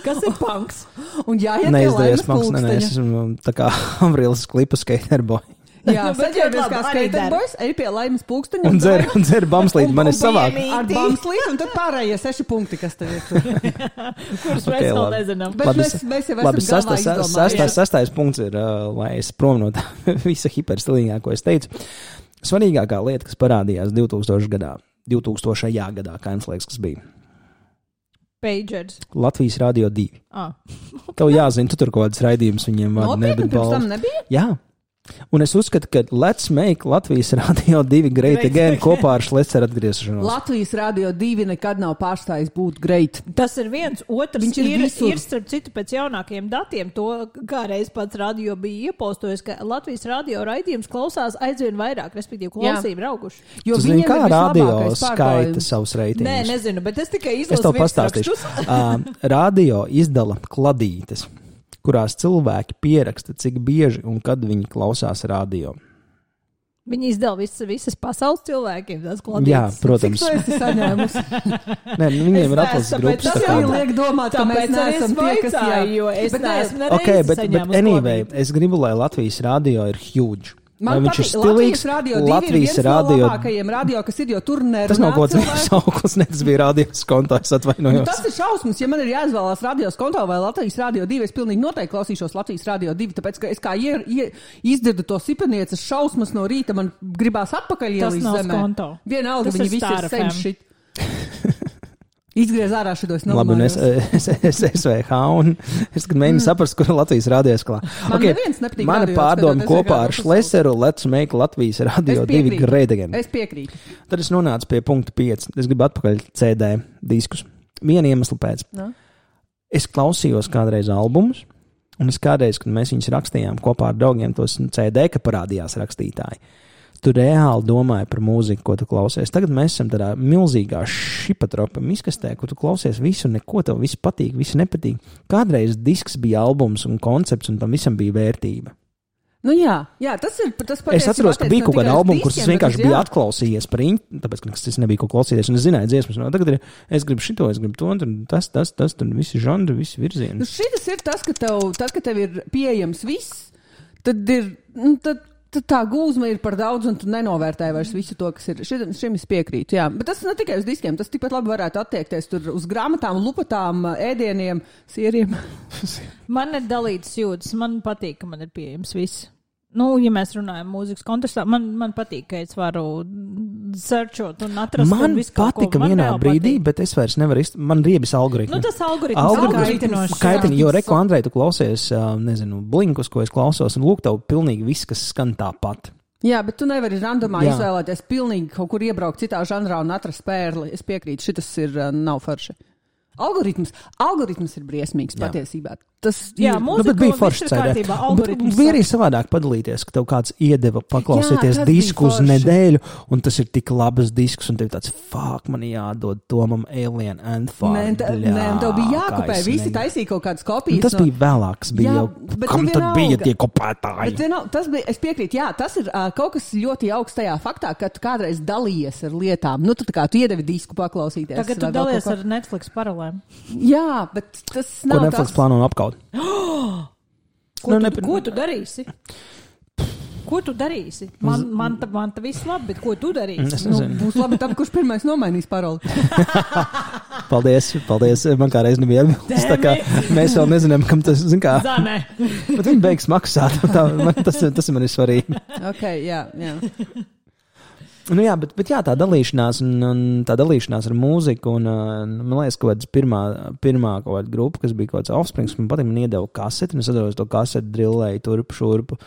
Kas ir punks? un jāiet pie Neizdevies, Laimas Maks, nē, nē, es pulksteņa. esmu tā kā Avrīlas klipa skaterboy. Jā, Nu, bet saģēries ļoti kā labi, arī skaterboys, ej pie Laimas pulksteņa Un dzer, un dzer bamslīt, Un- man ir un savāk. piemīt. ar bamslīti, un tad pārējie seši punkti, kas tev ir tur. Kurus Ok, mēs vēl labi. nezinām. Bet mēs, mēs jau Labi, esam galvā sastais, izdomājuši. sastais, sastais punkts ir, uh, lai es prom no tā visa hiperstilīgā, ko es teicu. Svarīgākā lieta, kas parādījās divtūkstošajā gadā, divtūkstošajā gadā, kā jums liekas, kas bija Pagers. Latvijas Rādio divi. Ah. Tev jāzina, tu tur kaut kādas raidījumus viņiem vada, Nopietni, nebūtu pirms tam balvas. nebija? Jā. Un es uzskatu, ka Let's Make Latvijas Rādio divi Great Great Again Again. kopā ar Šleceru atgriešanos. Latvijas Rādio divi nekad nav pārstājis būt greit. Tas ir viens, otrs Viņš ir ir, visur. ir starp citu pēc jaunākiem datiem. To kādreiz pats radio bija iepostojis, ka Latvijas radio raidījums klausās aizvien vairāk, respektīvi klausību ir auguši. Jo Tu zini, viņiem kā ir radio vislabākais skaita pārklājums. savus Nē, reitingus? nezinu, bet es tikai Es izlasu tev pastāstīšu. Uh, radio izdala kladītes, kurās cilvēki pieraksta, cik bieži un kad viņi klausās radio. Viņi izdala visas, visas pasaules cilvēkiem. Tas Jā, kladītes. Cik protams. tu esi saņēmusi? Nē, nu, viņiem Es ir neesmu, atlases tāpēc grupas. tas tā Tas kā- jau liek domāt, ka mēs Tāpēc arī neesam es tie, kas jā. vaicāju, jo es Bet nē, neesmu Ok, nereizi bet, bet saņēmusi anyway, kladītes. es gribu, lai Latvijas radio ir huge. Man Vai viņš ir patīk, stilīgs? Latvijas radio divi ir Latvijas viens radio. no labākajiem radio, kas ir, jo tur nerunā Tas nav kaut kāds cilvēki. sauklis, ne, tas bija radios konto, es Nu, atvainojos. tas ir šausmas, ja man ir jāizvēlās radios konto vai Latvijas Rādio divi. Es pilnīgi noteikti klausīšos Latvijas Rādio divi, tāpēc, ka es kā ie, ie, izdzirdu to sipanieces šausmas no rīta, man gribās atpakaļ Tas ielīst nav zemē. konto. Vienalga, Tas viņi ir visi ir Star F M. senšit. Izgriez ārā šitos Labi, un es, nolamājos. es, es, es V H, un es kad mēģinu saprast, kur ir Latvijas radio sklā. Man neviens nepatīk Mana radio pārdoma skatāt, es kopā ar vienkārši Šleceru Let's Make Latvijas Radio Es divi piekrītu. Great Again. Es piekrītu. Tad es nonācu pie punkta pieci. Es gribu atpakaļ C D diskus. Viena iemesla pēc. No? Es klausījos kādreiz albumus, un es kādreiz, kad mēs viņus rakstījām kopā ar draugiem, tos C D, ka parādījās rakstītāji. Tu reāli domāji par mūziku, ko tu klausies. Tagad mēs esam tādā milzīgā šipatropa miskastē, kur tu klausies visu, neko tev viss patīk, viss nepatīk. Kādreiz disks bija albums un koncepts, un tam visam bija vērtība. Nu jā, jā, tas ir tas Es patiesībā atceros, ka attiecas bija ne kaut kāda tikai uz albuma, kurus es diskiem, bet vienkārši uz- biju jā. atklausījies par viņu, tāpēc, ka es nebiju ko klausīties, un es zināju dziesmas. No, tagad ir, es gribu šito, es gribu to, un tur tas, tas, tas, tur visi žanri, visi Nu, virzieni. šitas ir tas, ka tev, tad, kad tev ir pieejams viss, tad ir, nu, tad, tad tā gūzma ir par daudz, un tu nenovērtēji vairs visu to, kas ir. Šim, šim es piekrītu, jā. Bet tas ne tikai uz diskiem, tas tikpat labi varētu attiekties tur uz grāmatām, lupatām, ēdieniem, sieriem. Man ir dalīts jūtas. Man patīk, ka man ir pieejams viss. Nu, ja mēs runājam mūzikas kontekstā, man, man patīk, ka es varu searchot un atrast. Man un visu kaut ko. patika Man vienā reāli brīdī, patīk. bet es vairs nevaru izturēt. Man riebis algoritmi. Nu, tas algoritms Algoritms ir kaitinošs. Kaitini, jo jā. reku Andrej, tu klausies, ā, nezinu, blinkus, ko es klausos, un lūk, tev pilnīgi viss, kas skan tāpat. Jā, bet tu nevari randomā Jā. izvēlēties pilnīgi kaut kur iebraukt citā žanrā un atrast pērli. Es piekrītu, šitas ir uh, nav forši. Algoritms, algoritms ir briesmīgs Jā. patiesībā. Tas Jā, ir- mūzika, Nu, bet bija viss forši ir C D. kārtībā, algoritms Bija arī savādāk padalīties, ka tev kāds iedeva paklausīties Jā, tas disku bija uz forši. nedēļu, un tas ir tik labs disks, un tev tāds, fuck, man jādod Tomam Alien Anthem. Nē, tā- nē, un tev bija jākopē. Visi taisīja kaut kādas kopijas. Tas no- bija vēlāks, bija Jā, jau, bet kam nu tad vienalga. bija tie Bet, kopētāji? zinu, tas bija, es piekrītu, jā, tas ir uh, kaut kas ļoti augstajā faktā, ka tu kādreiz dalījies ar lietām. Nu, tu tā kā tu iedevi disku paklausīties. Tagad tu vai vēl dalies kaut ko. ar Netflix paralēm. Jā, bet tas Ko nav Netflix tas. plāno apkaut? Ko, Nu, tu, ne- ko tu darīsi? Ko tu darīsi? Man, man, ta, man ta viss labi, bet ko tu darīsi? Es Nu, nezinu. būs labi tam, kurš pirmais nomainīs paroli. Paldies, paldies. Man kādreiz nebija atbildes. Tā kā mēs vēl nezinām, kam tas, zin kā, Zanē. bet viņi beigs maksāt. Tā, man, tas, tas ir man ir svarīgi. Ok, jā, jā. Nu jā, bet, bet jā, tā dalīšanās, un, un tā dalīšanās ar mūziku, un man liekas, ka pirmā, pirmā kaut kāda grupa, kas bija kaut kāds Offsprings, man patīk, man iedeva kaseti, un es atceros to kaseti, drillēju turpu, šurpu.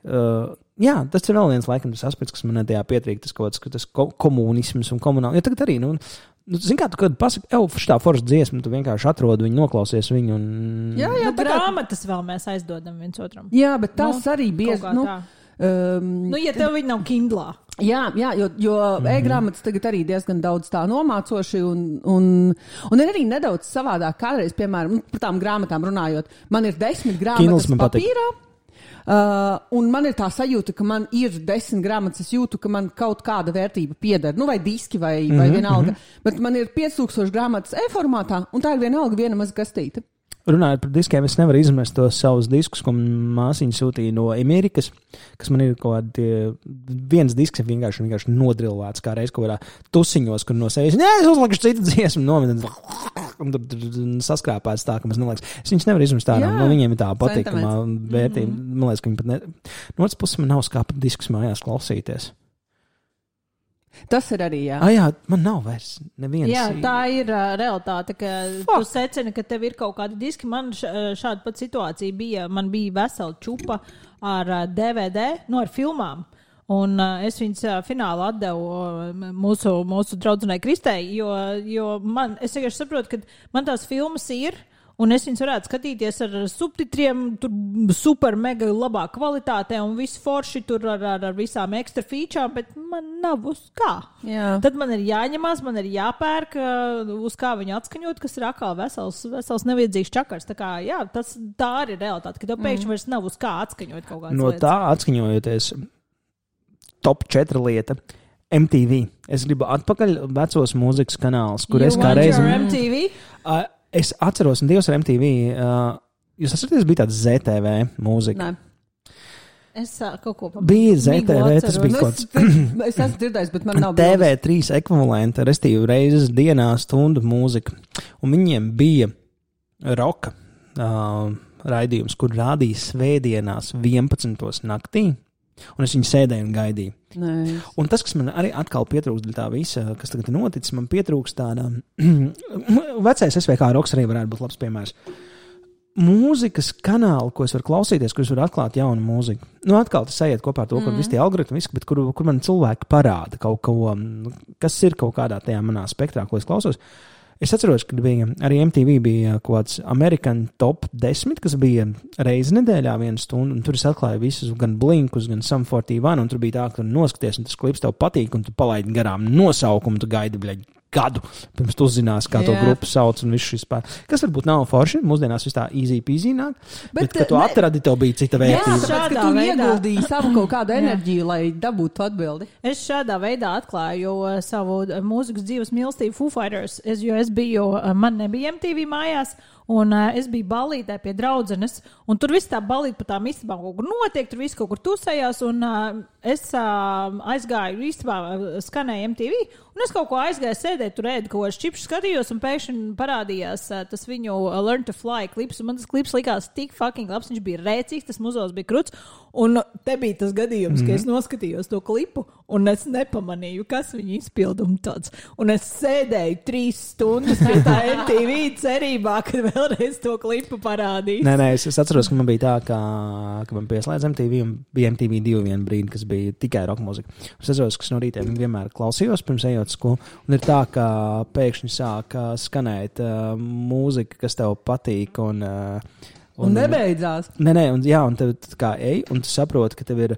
Uh, jā, tas ir vēl viens laikam tas aspekts, kas man tajā pietrīk, tas kaut kāds tas ko, komunisms un komunāli. Ja tagad arī, nu, nu zin kā, tu kad pasaki, ev, šitā forša dziesma, tu vienkārši atrodi viņu, noklausies viņu, un... Jā, jā, tā grāmatas vēl mēs aizdodam viens otram. Jā, bet tas nu, arī bieži, nu... Um, nu, ja tev viņi nav Kindlā. Jā, jā, jo, jo mm-hmm. e-grāmatas tagad arī diezgan daudz tā nomācoši un, un, un ir arī nedaudz savādāk kādreiz, piemēram, par tām grāmatām runājot. Man ir desmit grāmatas papīrā, uh, un man ir tā sajūta, ka man ir desmit grāmatas, es jūtu, ka man kaut kāda vērtība pieder, nu vai diski vai, mm-hmm. vai vienalga, bet man ir pieci tūkstoši grāmatas e-formātā, un tā ir vienalga viena maz gastīta. Runājot par diskiem, es nevaru izmest tos savus diskus, ko māsiņa sūtīja no Amerikas, kas man ir kaut kādi viens disks vienkārši, vienkārši nodrilvēts kā reiz kaut kādā tusiņos, kur no sejas, nē, es uzlikšu citu dziesmu, nomet, un tur saskrāpēts tā, ka man liekas, es viņus nevaru izmest tā, no viņiem ir tā patīkamā vērtība, mm-hmm. man liekas, ka viņi pat ne, no otras puses man nav skāpa diskus mājās klausīties. Tas ir arī, jā. Ah, jā, man nav vairs neviens. Jā, tā ir uh, realitāte, ka Fuck. Tu secini, ka tev ir kaut kādi diski. Man šāda pat situācija bija, man bija vesela čupa ar uh, D V D, nu ar filmām. Un uh, es viņas uh, finālu atdevu uh, mūsu, mūsu draudzenei Kristei, jo, jo man, es vienkārši saprotu, ka man tās filmas ir, un es viņus varētu skatīties ar subtitriem, tur super mega labā kvalitātē un visu forši tur ar, ar, ar visām ekstra featurām, bet man nav uz kā. Jā. Tad man ir jāņemās, man ir jāpērk, uz kā viņu atskaņot, kas ir atkal vesels, vesels neviedzīgs čakars. Tā kā, jā, tas, tā arī ir realitāte, ka tev pēkšņi mm. vairs nav uz kā atskaņot kaut kādas no lietas. No tā atskaņojoties, top četri lieta. M T V. Es gribu atpakaļ vecos mūzikas kanālus, kur you es kā reizi... M T V? Uh, Es atceros, un Dievs ar M T V, uh, jūs atceraties, bija tāds Z T V mūzika? Nē. Es uh, kaut ko pamanīju. Bija Z T V, tas bija kaut kāds. Es, es esmu dzirdējis, bet man nav T V trīs ekvivalenta, restīvi reizes dienā stundu mūzika. Un viņiem bija roka uh, raidījums, kur rādīja svētdienās vienpadsmitos naktī. Un es viņu sēdēju un gaidīju. Nice. Un tas, kas man arī atkal pietrūkst tā visa, kas tagad ir noticis, man pietrūkst tāda vecais S V K roks arī varētu būt labs piemērs. Mūzikas kanāli, ko es varu klausīties, kur es varu atklāt jaunu mūziku. Nu, atkal tas aiziet kopā ar to, kur mm. visi tie algoritmi, bet kur, kur man cilvēki parāda kaut ko, kas ir kaut kādā tajā manā spektrā, ko es klausos. Es atceros, ka bija arī M T V bija kaut kāds American Top desmit, kas bija reizi nedēļā vienu stundu, un tur es atklāju visus, gan Blinkus, gan Sum forty one, un tur bija tā, ka tu noskaties, un tas klips tev patīk, un tu palaidi garām nosaukumu, tu gaidi, bļaļ, gadu, pirms tu uzzinās, kā to grupu sauc un viss šis pār. Kas varbūt nav forši, mūsdienās viss tā easy peasy nāk, bet, bet kad tu ne... atradi, tev bija cita vērtība. Jā, tāpēc, ka tu ieguldīji savu kaut kādu enerģiju, lai dabūtu atbildi. Es šādā veidā atklāju savu mūzikas dzīves mīlestību Foo Fighters, es, jo es biju, man nebija M T V mājās, un uh, es biju ballītē pie draudzenes, un tur viss tā ballīte pa tām istabām kaut kur notiek, tur viss kaut kur tusējās, un uh, es uh, aizgāju, istabā uh, skanēju M T V, un es kaut ko aizgāju sēdēt, tur ēdu kaut ko čipšu skatījos, un pēkšņi parādījās uh, tas viņu uh, Learn to Fly klips, un man tas klips likās tik fucking labs, viņš bija rēcīgs, tas muzos bija kruts, un te bija tas gadījums, mm-hmm. ka es noskatījos to klipu, un es nepamanīju, kas viņa izpilduma tāds, un es sēdēju trīs stundas pie tā M T V cerībā, kad vēlreiz to klipu parādīs. Nē, nē, es, es atceros, ka man bija tā, ka, ka man pieslēdz M T V, un bija M T V divi vienu brīdi, kas bija tikai rock mūzika. Es atceros, ka no rītiem vienmēr klausījos pirms ejot skolu, un ir tā, ka pēkšņi sāk skanēt uh, mūzika, kas tev patīk, un... Uh, un, un nebeidzās. Nē, nē, un, jā, un tev kā ej, un tu saproti, ka tev ir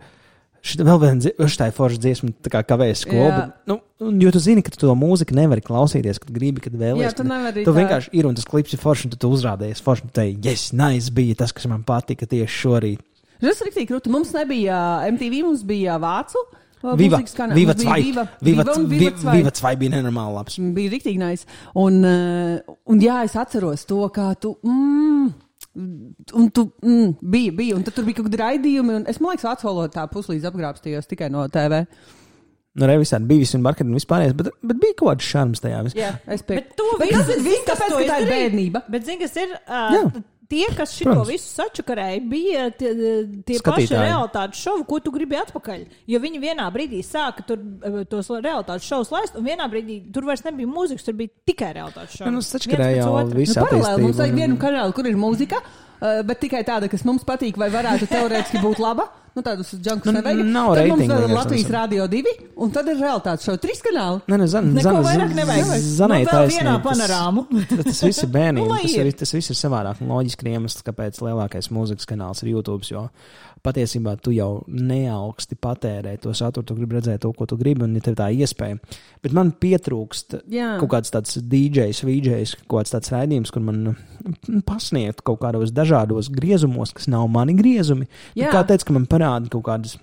šita vēl viena šitā forša dziesma, tā kā kavējas skolu, bet, nu, jo tu zini, ka tu to mūziku nevari klausīties, kad gribi, kad vēlies. Jā, tu nevari. Tu vienkārši ir, un tas klips ir forši, un tu, tu uzrādījies forši, un tu teiksi, yes, nice, bija tas, kas man patika tieši šorīt. Tas ir riktīgi krūti. Mums nebija M T V, mums bija vācu. Viva, Viva Zwei. Viva, Viva, Viva, Viva Zwei bija nenormāli labs. Bija riktīgi nice. Un, un jā, es atceros to, kā tu... Mm, un tu mm, bija, bija. Un tad tur bija kaut kādi raidījumi. Un es, man liekas, vācu valodā tā puslīdz apgrābstījos tikai no T V. Nu, re, visādi bija visi un marketi un vispārējais, bet, bet bija kaut kāds šarms tajā. Jā, es piekrītu. Bet to visu, visu tāpēc, ka tā ir bērnība. Bet zini, kas ir... Uh, tie, kas šito Protams. Visu sačakarēja, bija tie, tie paši realitātes šovi, ko tu gribi atpakaļ. Jo viņi vienā brīdī sāka tur tos realitātes šovus laist, un vienā brīdī tur vairs nebija mūzikas, tur bija tikai realitātes šovi. Nu, sačakarēja jau visu nu, attīstību. Mums vajag vienu kanālu, kur ir mūzika, bet tikai tāda, kas mums patīk vai varētu teorētiski būt laba. Nu, tādus džankus nu, nevajag. Nav tad reitingu. Mums vēl ir Latvijas Rādio divi, un tad ir realitātes šovi. Trīs kanāli. Ne, ne, zan, Neko zan, vairāk nevajag. Zanai nu, vēl vienā panorāmu. Tas, tas viss ir bērniem. nu, tas, ir, tas viss ir savādāk. Loģiski iemesls, kāpēc lielākais mūzikas kanāls ir YouTube, jo patiesībā tu jau neaugsti patērē to saturu, tu gribi redzēt to, ko tu gribi, un ir tev tā iespēja. Bet man pietrūkst Jā. kaut kāds tāds D Js, V Js, kaut kāds tāds raidījums, kur man pasniegt kaut kādos dažādos griezumos, kas nav mani griezumi. Kā teica, ka man parāda kaut kādas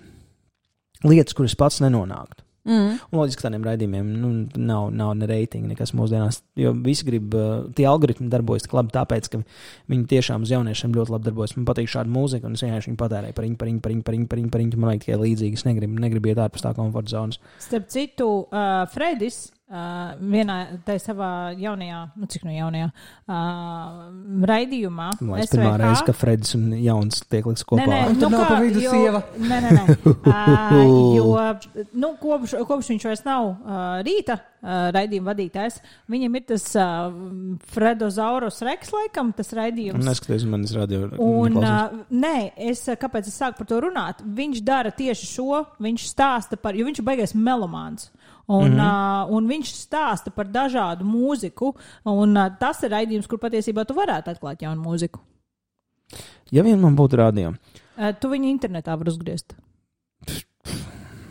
lietas, kuras pats nenonāktu. Mm. Un loģiski tādiem raidījumiem nu, nav, nav ne reitingi nekas mūsdienās, jo visi grib, tie algoritmi darbojas tik labi tāpēc, ka viņi tiešām uz jauniešiem ļoti labi darbojas. Man patīk šāda mūzika, un es vienkārši viņu patērēju pariņ, pariņ, pariņ, pariņ, pariņ, pariņ, man vajag tikai līdzīgi, es negribu, negribu iet ārpus tā komforta zonas. Starp citu, uh, Fredis uh, vienā tai savā jaunajā, nu cik no jaunajā, uh, raidījumā. Man liekas, pirmā reize, ka Fredis un jauns tiek liks kopā. Nē, nē, nu, nu kā, vidu jo, sieva. Nē, nē, nē. Uh, jo, nu, kopš, kopš viņš vairs nav uh, rīta uh, raidījuma vadītājs, viņam ir tas uh, Fredozaurus Rex, laikam, tas raidījums. Neskaties, manis radio. Un, uh, nē, es, kāpēc es sāku par to runāt? Viņš dara tieši šo, viņš stāsta par, jo viņš ir baigais melomāns. Un, mm-hmm. uh, un viņš stāsta par dažādu mūziku, un uh, tas ir raidījums, kur patiesībā tu varētu atklāt jaunu mūziku. Ja vien man būtu radio. Uh, tu viņu internetā var uzgriezt.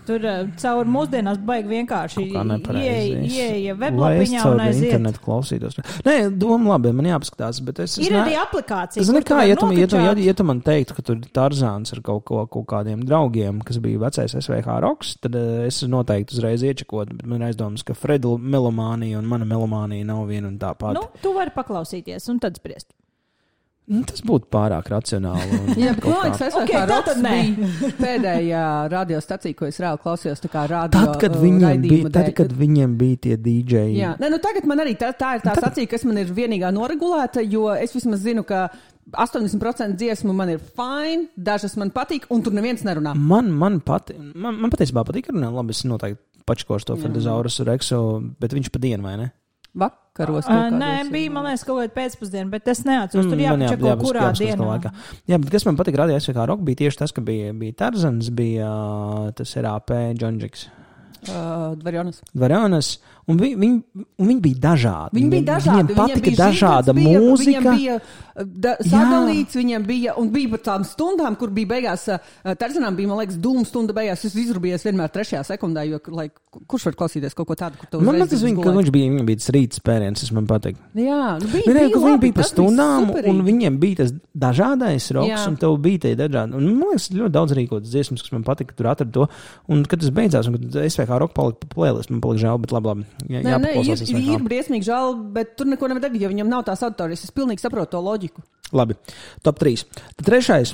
Tur uh, caur mūsdienās baigi vienkārši ieeja weblapiņā un aiziet. Internetu klausītos. Nē, doma labi, man jāpaskatās, bet es... Ir es arī aplikācija. Es nekā, ja tu, ja, tu, ja, ja tu man teiktu, ka tur Tarzāns ar kaut, ko, kaut kādiem draugiem, kas bija vecais S V H Rocks, tad uh, es noteikti uzreiz iečekot, bet man ir aizdomas, ka Freda melomānija un mana melomānija nav viena un tā pati. Nu, tu vari paklausīties un tad spriest. Nu, tas būtu pārāk racionāli. Jā, bet man liekas, es okay, kā Roks bija pēdējā radiostacija, ko es reāli klausījos, tā kā radio tad, kad viņiem bija, tad, kad viņiem bija tie D J. Jā, ne, nu tagad man arī tā, tā ir tā tad... stacija, kas man ir vienīgā noregulēta, jo es vismaz zinu, ka astoņdesmit procenti dziesmu man ir fine, dažas man patīk, un tur neviens nerunā. Man, man, pati, man, man patiesībā patīk runāt, labi, es noteikti pačkošu to Fredozaurus Rexu, bet viņš pa dienu, vai ne? Vakaros. Uh, nē, bija, man liekas, kaut kāda pēcpusdiena, bet es neatceros. Tur jāpačeko, jā, kurā dienā. Jā, bet kas man patīk radio S V H Rock, bija tieši tas, ka bija, bija Tarzans, bija tas R A P, Džondžiks. Uh, Dvarjonas. Dvarjonas. Un viņi, viņi, un viņi bija dažādi. Viņi bija dažādi. Viņiem patika bija dažāda bija, mūzika. Viņiem bija da, sadalīts, viņiem bija, un bija par tām stundām, kur bija beigās, uh, Tarzanām bija, man liekas, dūmu stunda beigās. Es izrubies vienmēr trešajā sekundā, jo, lai, kurš var klausīties kaut ko tādu, kur tev uzreiz... Man liekas, ka viņš bija, viņam bija tas rīts spēriens, tas man patīk. Jā, nu bija, bija, bija labi, viņi bija pa stundām, bija un viņiem bija tas dažādais roks, un tev bija tie dažādi. Un man liekas, ļoti daudz rīkotas dziesmas, kas man patika, tur atrada to. Un kad tas beidzās, un kad S V H Rock palika pa playlist, man palika žēl, bet labi, labi. Jā, nē, nē, ir, ir briesmīgi žēl, bet tur neko nevar darīt, jo viņam nav tās auditorijas. Es pilnīgi saprotu to loģiku. Labi, top trīs. Tad trešais.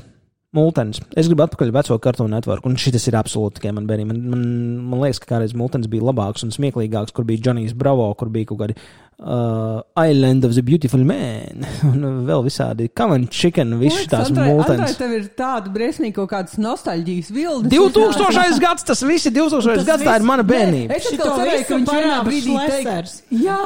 Multens. Es gribu atpakaļ veco Cartoon Network, un šis ir absolūti tikai man bērniem. Man, man, man liekas, ka kādreiz Multens bija labāks un smieklīgāks, kur bija Johnny's Bravo, kur bija kaut kādi uh, Island of the Beautiful Man, un vēl visādi Common Chicken, viss tās Multens. Andrai, tev ir tāda briesmīgi kaut kādas nostalģijas vildes. divtūkstošais gads, tas viss ir divtūkstošais gads, tā ir mana bērnība. Es tā cerēju, ka viņš vienā brīdī teiks. Jā,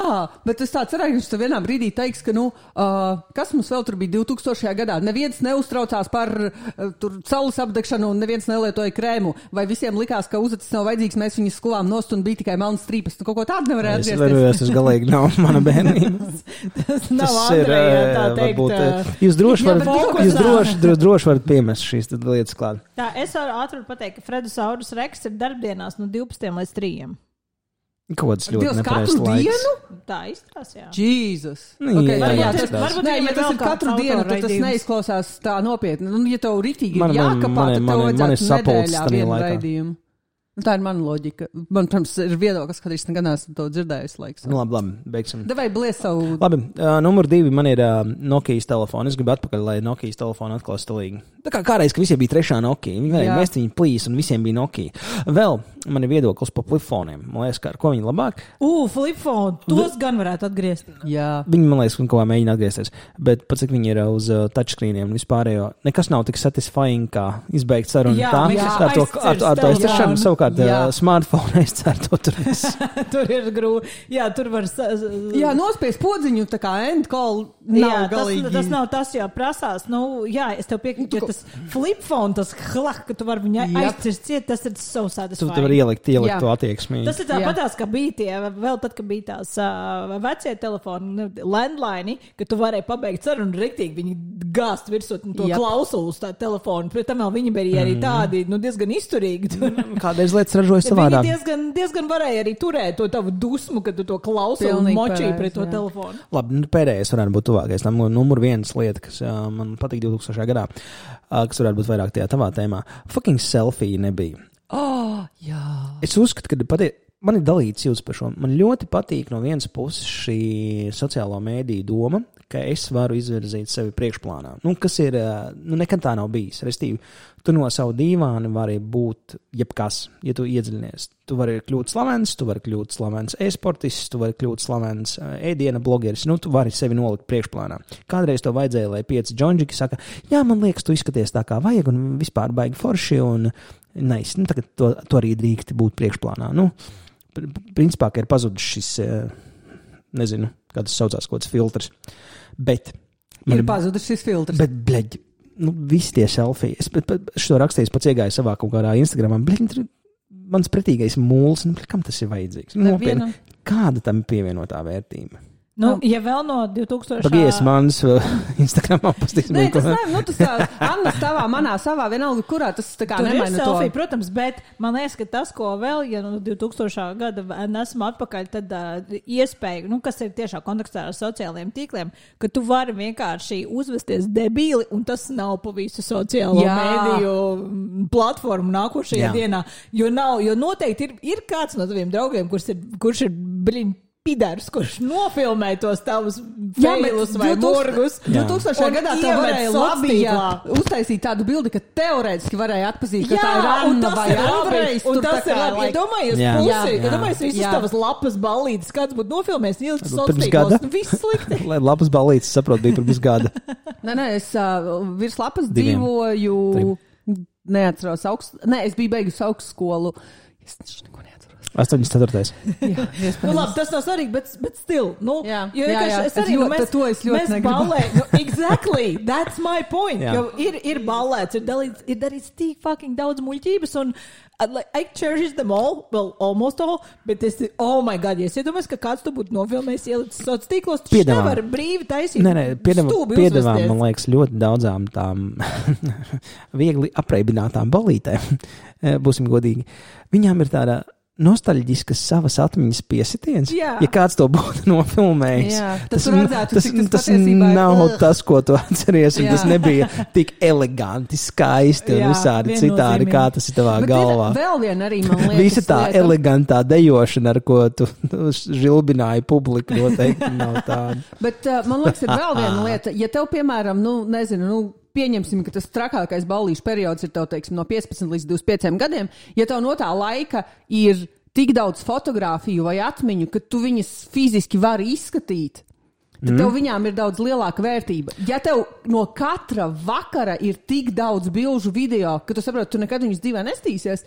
bet es tā cerēju, ka viņš vienā brīdī teiks, ka, nu, uh, kas mums vēl tur bija divtūkstošajā gadā? Neviens neuztraucās par tur saules apdegšanu un neviens nelietoja krēmu, vai visiem likās, ka uzacis nav vajadzīgs, mēs viņus sklām nost un bija tikai melnas strīpas. Tu kaut ko tādu nevarēja atgriezties. Es varu, tas galīgi nav mana bērnība. tas nav Andreja, tā teikt. Varbūt, jūs droši varat, jūs droši, droši, droši varat piemest šīs lietas klāt. Tā, es varu ātri pateikt, ka Fredozaurus Rex ir darbdienās no divpadsmitiem līdz trījiem. Kaut kas ļoti nepareizs laiks. Tā izstrās, jā. Jēzus. Nu, okay, jā, jā, tas, varbūt, nē, ja tas ir katru dienu, tad tas neizklausās tā nopietni. Nu, ja tev ritīgi ir jākapā, tad tev vajadzētu nedēļā vienu raidījumu. Tā ir mana loģika. Man, protams, ir viedoklis, kad es gan esmu to dzirdējusi laiks. Nu, labi, labi, beigsim. Davai blies savu... Labi, uh, numur divi man ir uh, Nokijas telefona. Es gribu atpakaļ, lai Nokijas telefonu atkal stilīgi. Tā kā kādreiz, ka visiem bija trešā Nokija. Viņi varēja mest viņu plīs un visiem bija Nokija. Vēl man ir viedoklis par flipfoniem. Man liekas, kā ar ko viņi labāk. Ugh, flipfoni, tos gan varētu atgriezt. Jā. Viņi, man liekas, kaut kā mēģina atgriezties. Bet pats, cik viņi ir uz uh, touchscreeniem un vispārējo, nekas nav tik satisfying, kā izbeigt sarunu. Jā, tā, jā, ar to, ar, ar, ar to izciršanu, savukārt uh, smartphone aizcer to tur. Tur ir grūti. Jā, tur var... Jā, nospies podziņu, tā kā end call nav jā, galīgi. Tas, tas nav tas, jo prasās, nu, jā, es tev piekrītu, ja tas flipfone, tas hlak, ka tu vari viņu aizcirst ciet, tas ir so satisfying. Tu, tu var ielikt, ielikt to attieksmi. Tas ir tāpatās, ka bija tie, vēl tad, kad bija tās uh, vecie telefoni, landline, ka tu varēji pabeigt sarunu riktīgi, viņi gāst virsot to yep. klausulas tā telefonu, pret tam vēl viņi bija arī tādi, nu, diezgan izturīgi. Kādreiz lietas ražoja savādāk. Viņi diezgan, diezgan varēja arī turēt to tavu dusmu, kad tu to klausuli un močīji pret to jā. telefonu. Labi, nu, pēdējais varētu būt tuvākais. Tam numur vienas lieta, kas uh, man patīk divtūkstošajā gadā, uh, kas varētu būt vairāk tajā tavā tēmā. Fucking selfie nebija. Oh, jā. Es uzskatu, ka patie, man ir dalīts jūtas par šo. Man ļoti patīk no vienas puses šī sociālo mēdīju doma, ka es varu izvirzīt sevi priekšplānā. Nu, kas ir, nu, nekad tā nav bijis. Restīvi, tu no savu dīvāni vari būt jebkas, ja tu iedziļinies. Tu vari kļūt slavens, tu vari kļūt slavens e-sportists, tu vari kļūt slavens ēdiena blogeris, nu, tu vari sevi nolikt priekšplānā. Kādreiz to vajadzēja, lai pieci džonģiki saka, jā, man liekas, tu izskaties tā kā vajag un vispār baigi forši un nice. Nu, tagad to, to arī drīkti būt priekšplānā. Nu, principā, ka ir pazudis šis, nezinu, kā tas saucās, kaut kāds filtrs. Bet ir pazudis šis filtrs. Bet, bleģi, nu, visi tie selfie. Es šo rakstījis pats iegāju savā kaut kādā Instagramā. Bleģi, mans pretīgais mūls, nu, kam tas ir vajadzīgs? Nopietni, kāda tam pievienotā vērtība? Nu, ja vēl no divtūkstošā... Pagies manis Instagramā pastīsim. Nē, tas nav, nu, tas tā, Anna tavā, manā savā, vienalga, kurā tas tā kā nemaina to. Selfie, protams, bet man liekas, ka tas, ko vēl, ja no divtūkstošā gada nesam atpakaļ, tad uh, iespēja, nu, kas ir tiešā kontekstā ar sociālajiem tīkliem, ka tu vari vienkārši uzvesties debīli, un tas nav pa visu sociālo Jā. mēdīju platformu nākošajā Jā. dienā, jo nav, jo noteikti ir, ir kāds no taviem draugiem, kurš ir, kurš ir bliņ, pidars, kurš nofilmē tos tavus failus vai morgus. divtūkstošajā gadā tev varēja labi uztaisīt tādu bildi, ka teorētiski varēja atpazīt, ka jā, tā ir Anna vai Andrejs. Un tas ir labi. Iedomājies pusi, iedomājies visas jā. tavas lapas ballītes, kāds būtu nofilmējis, ielikt sociālos, nu viss slikti. Lai lapas ballītes, saprot, bija pirms gada. Nē, nē, es uh, virs lapas Diviem. dzīvoju, Trim. neatceros augst, nē, es biju beigusi augstskolu. Es neko neatceros. astoņdesmit ceturtais Jā, nu, labi, tas nav svarīgi, bet, bet still. Nu, jā, jo, jā, jā. Es arī, es nu, mēs, to es ļoti mēs negribu. Ballē, nu, exactly, that's my point. Jo ir, ir ballēts, ir, dalīts, ir darīts tik fucking daudz muļķības un like, I cherish them all, well, almost all, bet es, oh my god, ja es iedomājos, ka kāds tu būtu nofilmējis ielicis sociālos tīklos, tu nevar brīvi taisīt. Nē, nē, piedevām, man liekas, ļoti daudzām tām viegli apreibinātām ballītēm, būsim godīgi. Viņām ir tāda nostalģiskas savas atmiņas piesitiens. Jā. Ja kāds to būtu nofilmējis, Jā, tas, redzētu, tas, tas, tas nav uh. tas, ko tu atceries, un Jā. tas nebija tik eleganti, skaisti Jā, un visādi citādi, kā tas ir tavā Bet galvā. Vēl vien arī, man liekas, Visa tā lieta. elegantā dejošana, ar ko tu žilbināji publiku, noteikti nav tāda. Bet uh, man liekas, ir vēl viena lieta. Ja tev, piemēram, nu, nezinu, nu, pieņemsim, ka tas trakākais ballīšu periods ir tev, teiksim, no piecpadsmit līdz divdesmit pieciem gadiem, ja tev no tā laika ir tik daudz fotogrāfiju vai atmiņu, ka tu viņas fiziski vari izskatīt, tad mm. tev viņām ir daudz lielāka vērtība. Ja tev no katra vakara ir tik daudz bilžu video, ka tu saproti, tu nekad viņus dzīvē nestīsies,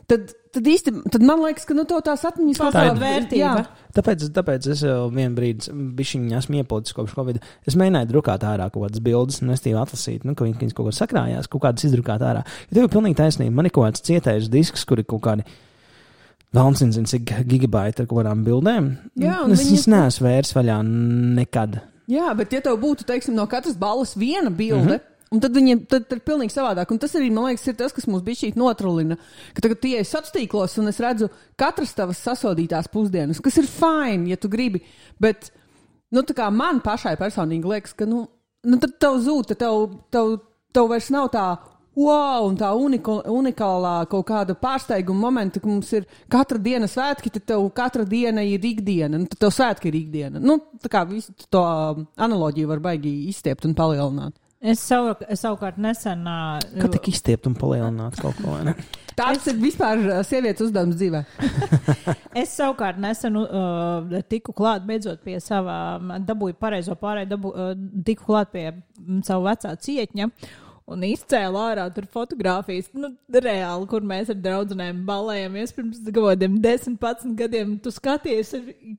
tad, tad īsti, tad man liekas, ka nu to tās atmiņas tā ir vērtība. Tāpēc, tāpēc es jau vienu brīdi bišķiņi esmu iepolitis kopš Covid. Es mēģināju drukāt ārā kaut kādas bildes un estīvi atlasīt, nu, ka viņas kaut ko sakrājās, kaut kādas izdrukāt ārā. Ja tev ir pilnīgi taisnība, man ir kaut kāds cietējs disks, kur ir kaut kādi Valncins zin, cik gigabaiti ar kaut kādām bildēm. Jā, es viņas viņas... neesmu vērs vaļā nekad. Jā, bet ja tev būtu, teiksim, no katras balles viena bilde, mm-hmm. un tad viņi tad, tad ir pilnīgi savādāk. Un tas arī, man liekas, ir tas, kas mums bišķīt notrulina. Ka tagad tie ir sociālos, un es redzu katras tavas sasodītās pusdienas, kas ir fine, ja tu gribi. Bet, nu, tā kā man pašai personīgi liekas, ka, nu, nu tad tev zūd, tev, tev, tev vairs nav tā wow, un tā unika, unikālā kaut kāda pārsteiguma momenta, ka mums ir katra diena svētki, tad tev katra diena ir ikdiena, nu, tad tev svētki ir ikdiena. Nu, tā kā visu to analoģiju var baigi izstiept un palielināt. Es, savu, es savukārt nesen... Uh, Kā tik izstiept un palielināt kaut ko, vai ne? Tāds es... ir vispār sievietes uzdevums dzīvē. Es savukārt nesen uh, tiku klāt beidzot pie savā, dabūju pareizo pārēju, dabū, uh, tiku klāt pie savu vecā cietņa. Un izcēla ārā tur fotogrāfijas, nu, reāli, kur mēs ar draudzenēm balējamies pirms gadiem, desmit, padsmit gadiem. Tu skaties,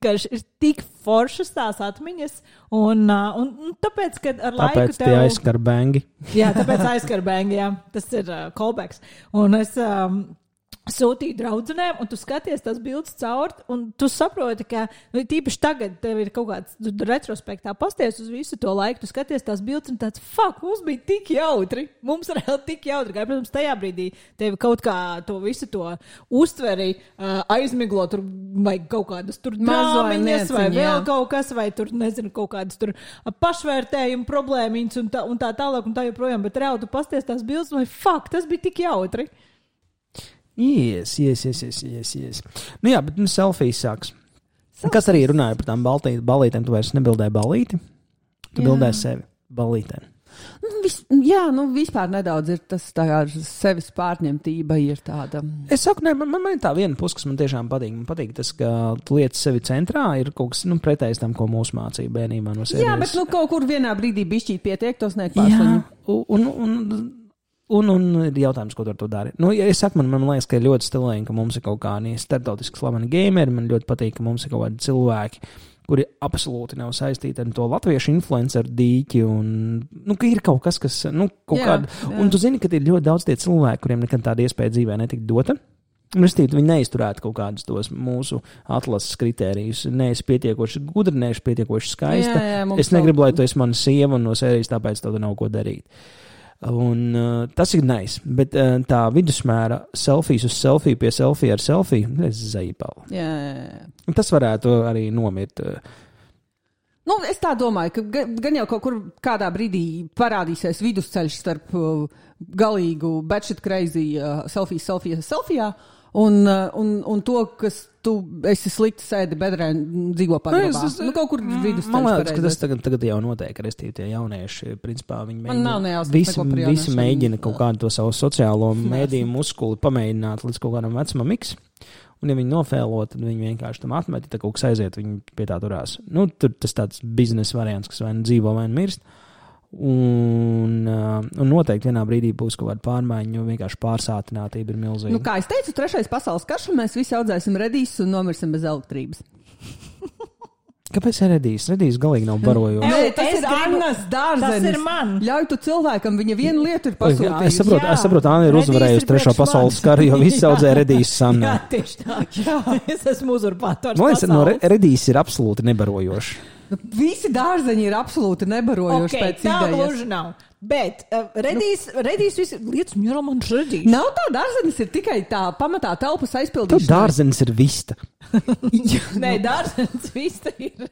ka ir tik foršas tās atmiņas, un, un, un tāpēc, kad ar tāpēc laiku tev... Tāpēc tie aizskar bengi. Jā, tāpēc aizskar bengi, jā. Tas ir uh, callbacks. Un es... Um, sūtīju draudzenēm, un tu skaties tās bildes caur, un tu saproti, ka nu, tīpaši tagad tev ir kaut kāds retrospektā pasties uz visu to laiku, tu skaties tās bildes un tāds, fuck, mums bija tik jautri, mums reāli tik jautri, kā, protams, tajā brīdī tevi kaut kā to visu to uztveri uh, aizmiglo, tur vai kaut kādas tur drāmiņas, vai vēl jā. Kaut kas, vai tur, nezinu, kaut kādas tur pašvērtējumu problēmiņas un tā, un tā tālāk un tā joprojām, bet reāli tu pasties tās bildes, vai fuck, tas bija tik jautri. Yes, yes, yes, yes, yes, yes. Nu jā, bet nu, selfijas sāks. Selfies. Kas arī runāja par tām baltī, balītēm, tu vairs nebildēji balīti, tu bildēji sevi balītēm. Nu, vis, jā, nu vispār nedaudz ir tas tā kā sevis pārņemtība ir tāda. Es saku, ne, man, man ir tā viena puse, kas man tiešām patīk. Man patīk tas, ka tu lietas sevi centrā, ir kaut kas, nu, pretējs tam, ko mūsu mācīja bērnībā no sērijas. Jā, bet nu kaut kur vienā brīdī bišķīt pietiek, tos nekpārslaņu. Jā, un, un, un Un, un ir jautājums, ko tu ar to dari. Nu, ja es saku, man, man liekas, ka ir ļoti stilēni, ka mums ir kaut kādi starptautiski slaveni gameri. Man ļoti patīk, ka mums ir kaut kādi cilvēki, kuri absolūti nav saistīti ar to latviešu influenceru dīķi. Un, nu, ka ir kaut kas, kas, nu, kaut jā, kāda. Jā. Un tu zini, ka ir ļoti daudz tie cilvēki, kuriem nekad tāda iespēja dzīvē netika dota. Restīvi, viņi neizturētu kaut kādus tos mūsu atlases kritērijus. Neesi pietiekoši gudra, neesi pietiekoši skaista. Jā, jā, es negribu, lai tu esi mana sieva un no sērijas, tāpēc tev nav ko darīt. Un uh, tas ir nice, bet uh, tā vidusmēra selfijas uz selfiju pie selfija ar selfiju, es zaipālu. Jā, jā, jā. Tas varētu arī nomirt. Nu, es tā domāju, ka gan jau kaut kur kādā brīdī parādīsies vidusceļš starp uh, galīgu batshit crazy uh, selfiju, selfiju, selfijā un, uh, un, un to, kas tu esi slikti sēdi bedrē un dzīvo pagrabā. Nu, kaut kur vidusceļš. Man liekas, ka tas tagad, tagad jau notiek, restīvi tie jaunieši, principā viņi mēģina, visi, visi mēģina kaut kādu to savu sociālo mēdīju muskuli pamēģināt līdz kaut kādam vecumam X. Un ja viņi nofēlo, tad viņi vienkārši tam atmet, ja kaut kas aiziet, viņi pie tā turās. Nu, tur tas tāds biznesa variants, kas vai nu dzīvo, vai nu mirst. Un, uh, un noteikti vienā brīdī būs kaut kāda pārmaiņa, jo vienkārši pārsātinātība ir milzīga. Nu, kā es teicu, trešais pasaules karš, un mēs visi audzēsim redīsus un nomirsim bez elektrības. Kāpēc redīs? Redīs galīgi nav barojoši. Nē, tas es ir gribu... Annas dārzenis. Tas ir man. Ļauj tu cilvēkam, viņa viena lieta ir pasūtījusi. Es saprotu, es saprotu, Anna ir uzvarējusi trešo pasaules karu, jo visi audzē redīs Sanna. Jā, tieši tā. Jā, es esmu uzurpātors pasaules. No, redīs ir absolūti nebarojoši. Nu, visi dārzeņi ir absolūti nebarojoši okay, pēc idejas. Tā gluži nav. Bet uh, redīs, redīs visi lietas, mierā man redīs. Nav tā, dārzenis ir tikai tā pamatā telpas aizpildīšana. Tu dārzenis ir vista. Nē, dārzenis vista ir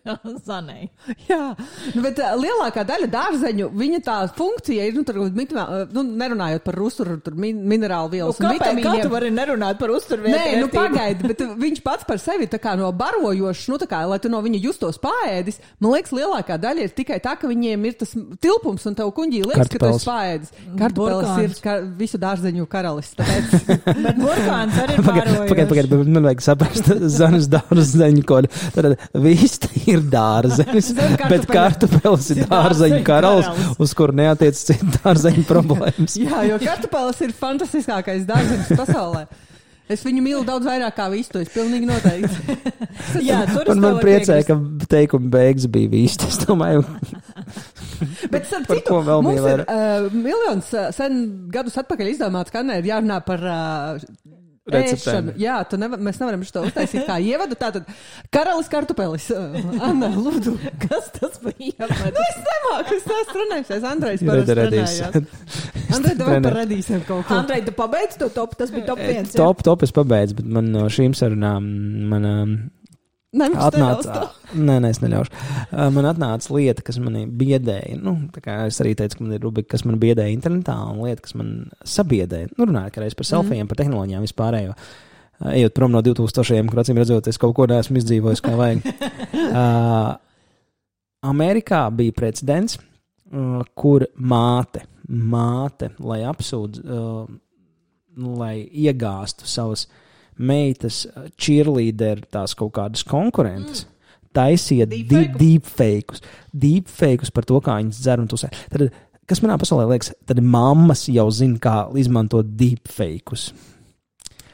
zanei. Jā, nu, bet uh, lielākā daļa dārzeņu, viņa tā funkcija ir, nu, tur, mitimā, nu nerunājot par uzturu, tur min, minerālu vielas nu, un vitamīniem. Kā tu vari nerunāt par uzturvietu? Nē, nu pagaidi, bet viņš pats par sevi tā kā no barojošs, nu tā kā, lai tu no viņa justos paēdis, man liekas, lielākā daļa ir tikai tā, ka viņiem ir tas tilpums un tev kuņģī liekas, ka tu esi paēdis. Kartupeles ir ka, visu dārzeņu karalis. Bet burkāns arī barojošs. Pagaid, pagaid, bet man vajag saprast zanas dārzeņu kodu. Tad vista ir dārzenis, bet kartupeles ir dārzeņu karalis, uz kuru neatiec citu dārzeņu problēmas. Jā, jo kartupeles ir fantastiskākais dārzeņš pasaulē. Es viņu mīlu daudz vairāk kā vistu, es pilnīgi noteikti. Jā, tur un man priecēja, ka teikuma beigas bija vistu, es domāju. Bet starp citu, mums ir uh, miljons uh, sen gadus atpakaļ izdomāts, ka Anna ir jārunā par uh, ēšanu. Jā, tu nevar, mēs nevaram šo uztaisīt kā ievadu. Tātad karalis kartupelis. Anna, lūdzu. Kas tas bija? Nu, es nemāku, es tās runājusies. Andrejs parasti runājās. Andrej, tev par redīsiem kaut ko. Andrej, tu pabeidz to top? Tas bija top viens. Top, top es pabeidzu, bet man no šīm sarunām, man... Nē, atnāca, nē, nē, es neļaušu. Uh, man atnāca lieta, kas manī biedēja. Nu, tā kā es arī teicu, ka man ir rubrika, kas man biedēja internetā, un lieta, kas man sabiedēja. Nu, runājot, ka reiz par selfijiem, mm. par tehnoloģijām vispārējo. Uh, ejot prom no divtūkstošajiem, kur acīm redzot, es kaut ko neesmu izdzīvojis, kā vajag. Uh, Amerikā bija precedents, uh, kur māte, māte, lai apsūdz, uh, lai iegāstu savas meitas cheerleader tās kaut kādas konkurences, mm. taisīja deepfakeus. Deepfakeus par to, kā viņas dzer un tusē. Tad, kas manā pasaulē liekas, tad mammas jau zina, kā izmantot deepfakeus.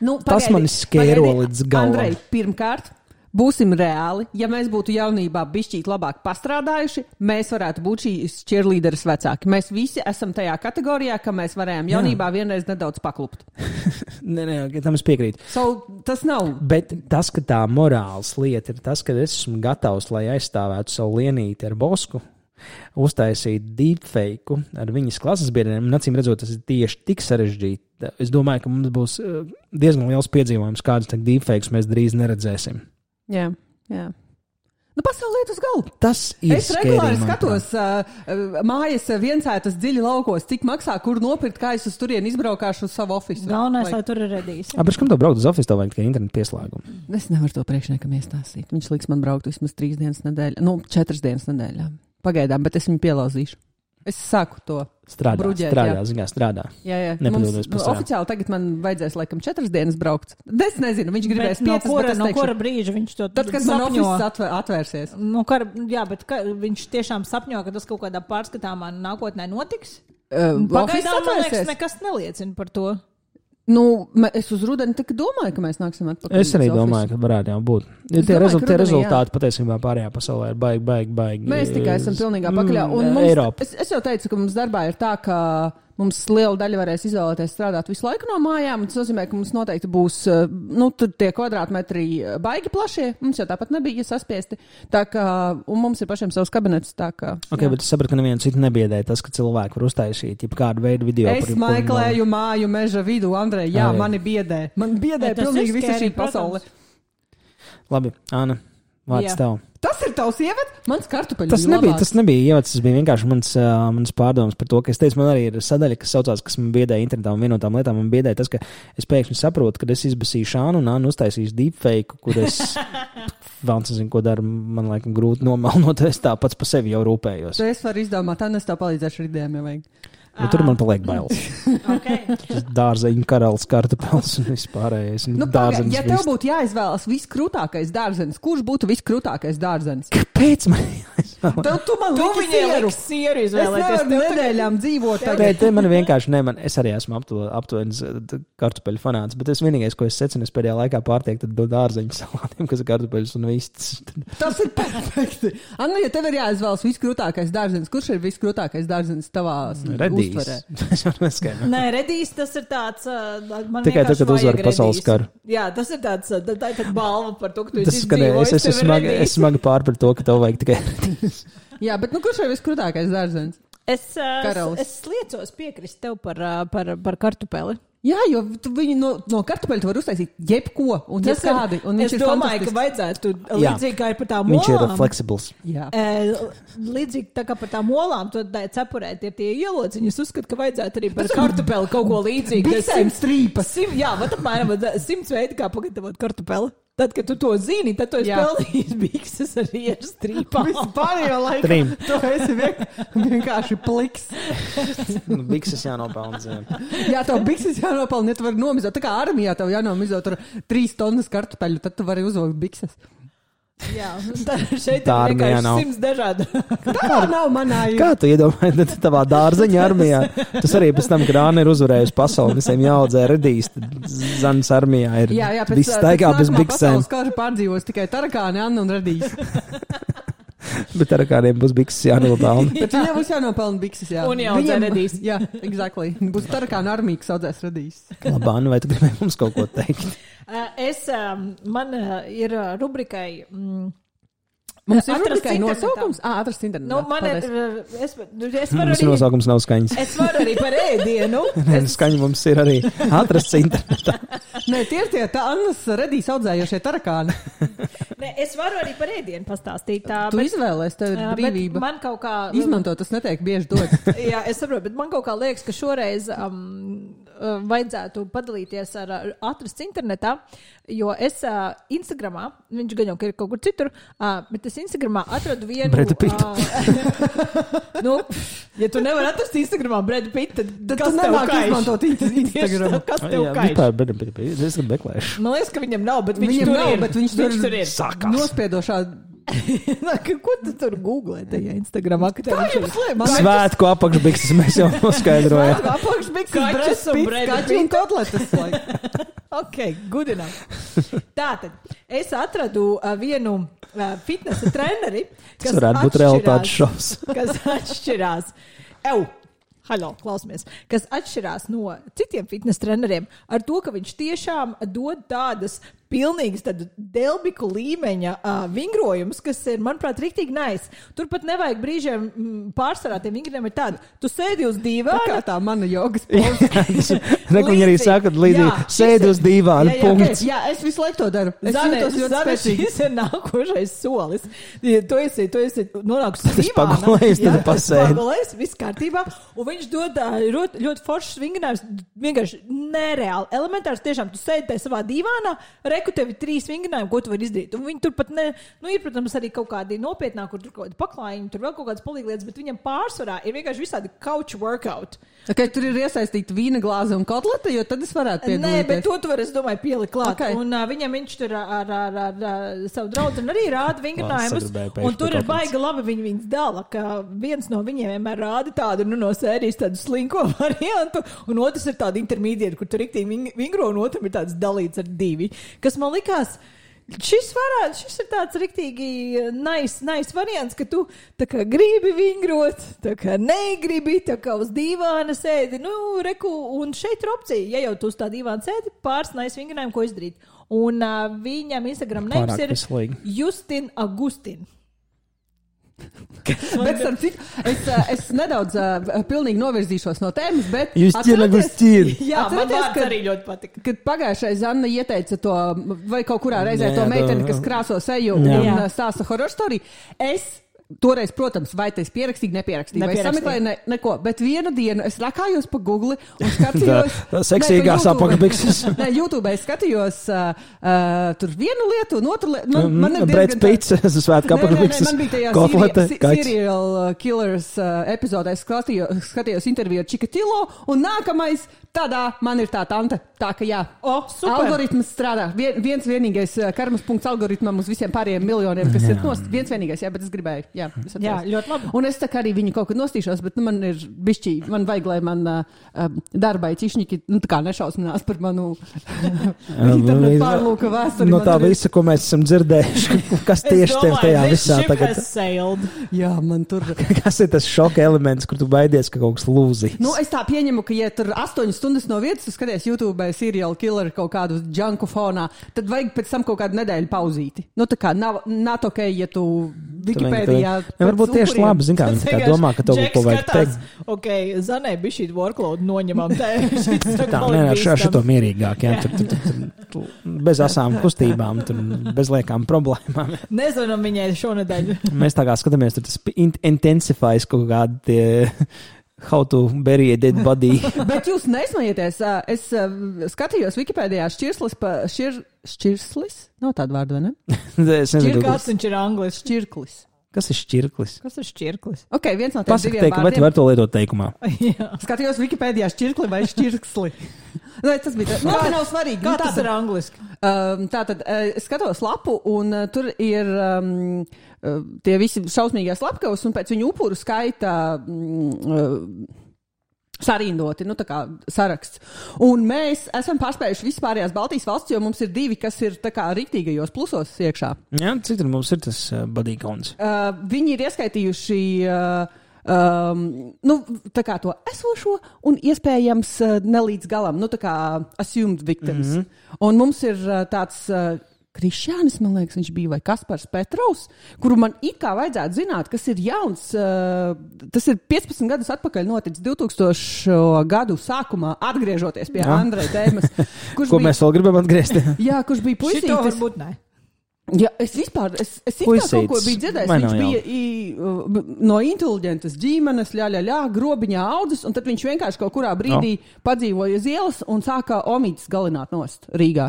Nu, pagaidi, tas mani skēro līdz galam. Andrej, pirmkārt, būsim reāli. Ja mēs būtu jaunībā bišķīt labāk pastrādājuši, mēs varētu būt šīs cheerleaderes vecāki. Mēs visi esam tajā kategorijā, ka mēs varējām jaunībā Jā. vienreiz nedaudz paklupt. Nē, nē, tam es piekrītu. So, tas nav. Bet tas, ka tā morāls lieta ir tas, ka es esmu gatavs, lai aizstāvētu savu lienīti ar Bosku, uztaisīt deepfake ar viņas klases biedriem, un acīm redzot, tas ir tieši tik sarežģīti. Es domāju, ka mums būs diezgan liels piedzīvojums, kādas deepfakes mēs drīz neredzēsim. Jā, jā. Nu, pasaulē uz galvu. Tas ir es regulāri skatos uh, mājas viensētas dziļi laukos, cik maksā, kur nopirkt, kā es uz turieni izbraukāšu uz savu ofisu. Galvenais, lai tur ir redīs. Apēc, kam tev braukt uz ofisu, tev vajag tikai internetu pieslēgumu? Es nevaru to priekšniekam iestāstīt. Viņš liks man braukt vismaz trīs dienas nedēļā, nu, četras dienas nedēļā. Pagaidām, bet es viņu pielauzīšu. Es sāku to strādā, bruģēt. Strādā, ziņā, strādā. Jā, jā. Mums, nu, oficiāli tagad man vajadzēs laikam četras dienas braukt. Es nezinu, viņš gribēs bet piecas, no kura, bet es no teikšu, kura brīža viņš to tad, kad man ofis atvēr, atvērsies. No kura, jā, bet ka, viņš tiešām sapņo, ka tas kaut kādā pārskatāmā nākotnē notiks? Uh, Pagaidām, man liekas, nekas neliecina par to. Nu, es uz rudeni tikai domāju, ka mēs nāksim atpakaļ. Es arī domāju, ka varētu jau būt. Ja tie, domāju, rezult, tie rezultāti jā. Patiesībā pārējā pasaulē ir baigi, baigi, baigi. Mēs tikai esam pilnīgā pakaļā. Un mums, es, es jau teicu, ka mums darbā ir tā, ka mums liela daļa varēs izvēlēties strādāt visu laiku no mājām. Tas nozīmē, ka mums noteikti būs nu, tie kvadrātmetri baigi plašie. Mums jau tāpat nebija saspiesti. Tā kā, un mums ir pašiem savs kabinets. Tā kā, ok, jā. Bet es sapratu, ka nevienu citu nebiedēja tas, ka cilvēki var uztaisīt kādu veidu video. Es meklēju māju meža vidu, Andrej. Jā, jā, mani biedē. Man biedē pilnīgi visa šī pasaule. Labi, Āna, vārds tev. Tas ir tavs ievads, mans kartupeļu. Tas nebija, tas nebija ievads, tas bija vienkārši mans, uh, mans pārdoms par to, ka es teicu, man arī ir sadaļa, kas saucās, kas man biedēja internetā un vienotām lietām. Man biedēja tas, ka es pēkšņi saprotu, ka es izbasīšu Ānu un Ānu uztaisīšu deepfake, kur es vēl nezinu, ko daru, man laikam grūti nomalnot, es tā pats pa sevi jau rūpējos. Tu es varu izdomāt, Anna, es tev palīdzēšu ar idejām, ja vajag. Bet tur man paliek bailes. Okay. Dārzeņu karalis, kartupels un vispārējais. Nu, paga, ja tev būtu jāizvēlas viskrūtākais dārzenis, kurš būtu viskrūtākais dārzenis? Kāpēc man jāizvēlas? Tev tu man tu liki sieru. sieru es nevaru nedēļām dzīvot tagad. Te man vienkārši ne, man, es arī esmu aptuvenis kartupeļu fanāts, bet es vienīgais, ko es secinu, es pēdējā laikā pārtiek, tad dārzeņu salātiem, kas ir kartupeļus un vistas. Tas ir perfekti. Anna, ja tev ir jāizvēlas viskrūtākais dārzenis, kurš ir viskrūtākais dārzenis tavās? Nē, redīs, tas ir tāds. Man tikai tad, kad uzvar pasaules karu. Jā, tas ir tāds, tā, tā ir balva par to, ka tu esi izdzīvojis. Es, es, es, smagi, es smagi pār par to, ka tev vajag tikai redīs. Jā, bet nu kurš ir viskrūtākais dārzens? Es, es liecos piekrist tev par, par, par kartupeli. Jā, jo viņi no, no kartupeļa var uztaisīt jebko un jebkādi. Un es domāju, ka vajadzētu līdzīgi kā ir par tām olām. Viņš ir flexibles. Jā. Līdzīgi tā kā par tām olām, tad cepurēt ir tie ielociņi. Es uzskatu, ka vajadzētu arī par kartupeli kaut ko līdzīgu. Biksēm strīpas. Sim, jā, vat apmēram simts veidi, kā pagatavot kartupeli. Tad, kad tu to zini, tad tu esi pelnījis bikses ar iežu strīpām. Vispārējo laiku. Trim. Tu esi vien, vienkārši pliks. Nu, bikses jānopelna, zin. Jā, tev bikses jānopelna, ja tu vari nomizot. Tā kā armijā tev jānomizot ar trīs tonnas kartupeļu, tad tu vari uzvilkt bikses. Jā, tā šeit tā ir vienkārši simts dažādu. Tā nav manā. Kā tu iedomājies tavā dārzeņa armijā? Tas arī pēc tam, kad Āna ir uzvarējusi pasauli, visiem jāaudzē redīs, Zanas armijā ir jā, jā, pēc, viss staigā bez biksēm. Pasaules kāžu pārdzīvos tikai tarakāni, Anna un redīs. Bet tarakāniem būs bikses jānopelna. Bet viņiem būs jānopelna bikses, jā. Un jāaudzē redīs. Jā, exactly. Būs tarakāni armija, kas audzēs redīs. Labā, nu vai tu gribēji mums kaut ko teikt? Es, man ir rubrikai Mums ir Atrast tikai internetā. nosaukums. Ā, atrast internetā. Nu, man ir, Paldies. es, es varu Mums arī, nosaukums nav skaņas. es varu arī par ēdienu. Nē, skaņa mums ir arī atrasts internetā. Nē, tie ir tie tā Annas redīs audzējošie tarakāni. Nē, es varu arī par ēdienu pastāstīt. Tā, Tu bet, izvēlēs, tev ir jā, brīvība. bet man kaut kā... Izmanto, tas netiek bieži dots. Jā, es saprotu, bet man kaut kā liekas, ka šoreiz um, vajadzētu padalīties ar, ar atrasts internetā, jo es uh, Instagramā, viņš gan jau ir kaut kur citur, uh, bet es Instagramā atradu vienu... Breda Pitta. Uh, nu, ja tu nevar atrast Instagramā Breda Pitta, tad, Tad kas tu tev nemāki kaiš? izmantot Instagramu. Kas tev Jā, kaiš? vispār, bet, bet, bet, es gan meklēšu. Man liekas, ka viņam nav, bet viņš Viņam tur nav, ir. bet viņš tur, tur ir. Sākās. Nospiedošā. Nā, ka- Ko tu tur googlē tajā Instagramā? Ka tev Tā viņš jau ir- slēp. Man Svētku apakšbikses mēs jau noskaidrojām. apakšbiks Kaķis un Breda kaķi un Pitta. kotletes. like. Ok, good enough. Tātad, es atradu uh, vienu uh, fitnesa treneri, Tas varētu būt realitātes šovs. kas atšķirās. Ew! Halo, klausamies. Kas atšķirās no citiem fitnesa treneriem ar to, ka viņš tiešām dod tādas pilnīgas tādu delbiku līmeņa uh, vingrojumus, kas ir, manuprāt, riktīgi nice. Tur pat nevajag brīžiem mm, pārsvarā tiem vingriem ir tādi. Tu sēdi uz Tā dīvāna. kā tā mana jogas pose. Viņi arī saka, līdzīgi Jā, šis sēdi ir- uz dīvāna, Jā, jā, punkts. Jā, es visu laiku to daru. Es Zane, jūtos ļoti Zane, spēcīgi. šis ir nākošais solis. Ja tu esi, tu esi nonākusi Tad es dīvānā, pagulēju, tad jā, pasēdi. pagulējies, viss kārtībā. Un viņš dod ā, ļoti, ļoti foršs vingrinājums, vienkārši nereāli. Elementārs tiešām, tu sēdi tajā savā dīvānā, reku tevi trīs vingrinājumi, ko tu vari izdarīt. Un viņi tur pat ne, nu ir, protams, arī kaut kādi nopietnāki, kur tur kaut kādi paklājumi, tur vēl kaut kādas palīglietas, bet viņam pārsvarā ir vienkārši visādi couch workout. Okay, tur ir iesaistīta vīna glāze un kotlete, jo tad es varētu Nē, piedalīties. bet to tu vari, es domāju, pielikt klāt. Okay. Un uh, viņam viņš tur ar, ar, ar, ar, ar savu draugu arī rāda vingrinājumus. sagribēju pēkšņi Un tur pie ir baigi labi viņi viņus dala, ka viens no viņiem vienmēr rāda tādu, nu, no sērijas tādu slinko variantu, un otrs ir tāda intermediāta, kur tur riktīgi ving- vingro, un otram ir tāds dalīts ar divi. Kas man likās, šis, varētu, šis ir tāds riktīgi nice, nice variants, ka tu tā kā gribi vingrot, tā kā negribi, tā kā uz dīvāna sēdi, nu, reku, un šeit ir opcija, ja jau tu uz tā dīvāna sēdi, pāris nice vingrinājumu, ko izdarīt. Un uh, viņam Instagram names Pārāk ir veselīgi. Justin Agustin. Bet, starp citu, es, ā, es nedaudz uh, pilnīgi novirzīšos no tēmas, bet. Justin atcerieties- Agustin. Jā, man atcerieties, vārds kad- arī ļoti patika. Kad pagājušais Anna ieteica to, vai kaut kurā reizē Jā, to jā, meiteni, to- kas krāso seju Jā. un Jā. ā, stāsta horror story, es toreiz, protams, vai tas pierakstīju, nepierakstīju, vai es Nepierakstīju. sameklēju, ne, neko, bet vienu dienu es rakājos pa Google un skatījos. Tā- tā seksīgās Nē, pa YouTube. apakšbikses. Nē, YouTube es skatījos uh, uh, tur vienu lietu un otru lietu. Man, man ir Breds diezgan tā- Pits, svētku Nē, nē, nē, apakšbikses, man bija tajā kotlete, seri- kaķis. serial uh, killers uh, epizodē, es skatījos, skatījos interviju ar Čikatilo, un nākamais tādā man ir tā tante. Tā ka jā, O, super. algoritms strādā. Vien, viens vienīgais uh, karmas punkts algoritmam uz visiem pārējiem miljoniem, kas ir nost. Viens vienīgais, jā, bet es gribēju. Jā, es Jā, atceros. ļoti labi. Un es tā kā arī viņu kaut kad nostīšos, bet nu, man ir bišķī, man vajag, lai man uh, uh, darbai cišņiki, nu tā kā nešausminās par manu internetu pārlūka vēsturi. No Man tā tur ir- visa, ko mēs esam dzirdējuši, kas tieši tev tajā visā tagad. Sailed. Jā, man tur. Kas ir tas šoka elements, kur tu baidies, ka kaut kas lūzīs? Nu, es tā pieņemu, ka, ja tur astoņas stundas no vietas, tu skaties YouTube seriālu killer kaut kādu džanku fonā, tad vajag pēc tam kaut kādu nedēļu pauzīti. Nu, tā kā nav, not ok, ja tu Wikipēdijā. Ne, varbūt tieši labi, zin kā viņi tā kā domā, ka tev kaut ko vajag teikt. Ok, Zanē bija šī workload noņemam. Tā, Tā, nē, ar šo, šito mierīgāk, jā, tur, tur, tur, tur, tur, bez asām kustībām, tur, bez liekām problēmām. Nezvanam viņai šonedēļ. Mēs tā kā skatāmies, tur tas in- intensifies kaut kādi tie how to bury a dead body. Bet jūs nesmējieties, ā, es ā, skatījos Wikipēdijā šķirslis pa šķir, šķirslis? Nav tāda vārda, vai ne? Es nezinu, Čirkāts kas, viņš ir anglis. Šķirklis. kas ir šķirklis. Kas ir šķirklis? Ok, viens no tiem Pasaka, diviem teik, vai tu vārdiem. vari to lietot teikumā? Jā. Skatījos Wikipēdijā šķirkli vai šķirksli. Nē, tas bija tā. Labi, nav svarīgi. Kā Nu, tas tātad- ir angliski? Um, tātad uh, es skatos lapu, un uh, tur ir um, uh, tie visi šausmīgie slepkavas, un pēc viņu upuru skaita mm, uh, sarindoti, nu tā kā saraksts. Un mēs esam pārspējuši vispārējās Baltijas valsts, jo mums ir divi, kas ir tā kā riktīgajos plusos iekšā. Jā, cik tur mums ir tas uh, body counts? Uh, viņi ir ieskaitījuši uh, um, nu, tā kā to esošo un iespējams uh, nelīdz galam, nu tā kā assumed victims. Mm -hmm. Un mums ir uh, tāds uh, Krišjānis, man liekas, viņš bija, vai Kaspars Petrovs, kuru man it kā vajadzētu zināt, kas ir jauns, uh, tas ir piecpadsmit gadus atpakaļ noticis divtūkstošo gadu sākumā, atgriežoties pie jā. Andreja tēmas. Ko bija, mēs vēl gribam atgriezt? Jā, kurš bija puisītis. Šito varbūt ne. Jā, es vispār, es, es it kā kaut ko biju dzirdējis, viņš bija i, uh, no inteliģentas ģimenes, ļā, ļā, ļā, grobiņā audzis, un tad viņš vienkārši kaut kurā brīdī no. padzīvoja uz ielas un sākā omītis galināt nost Rīgā.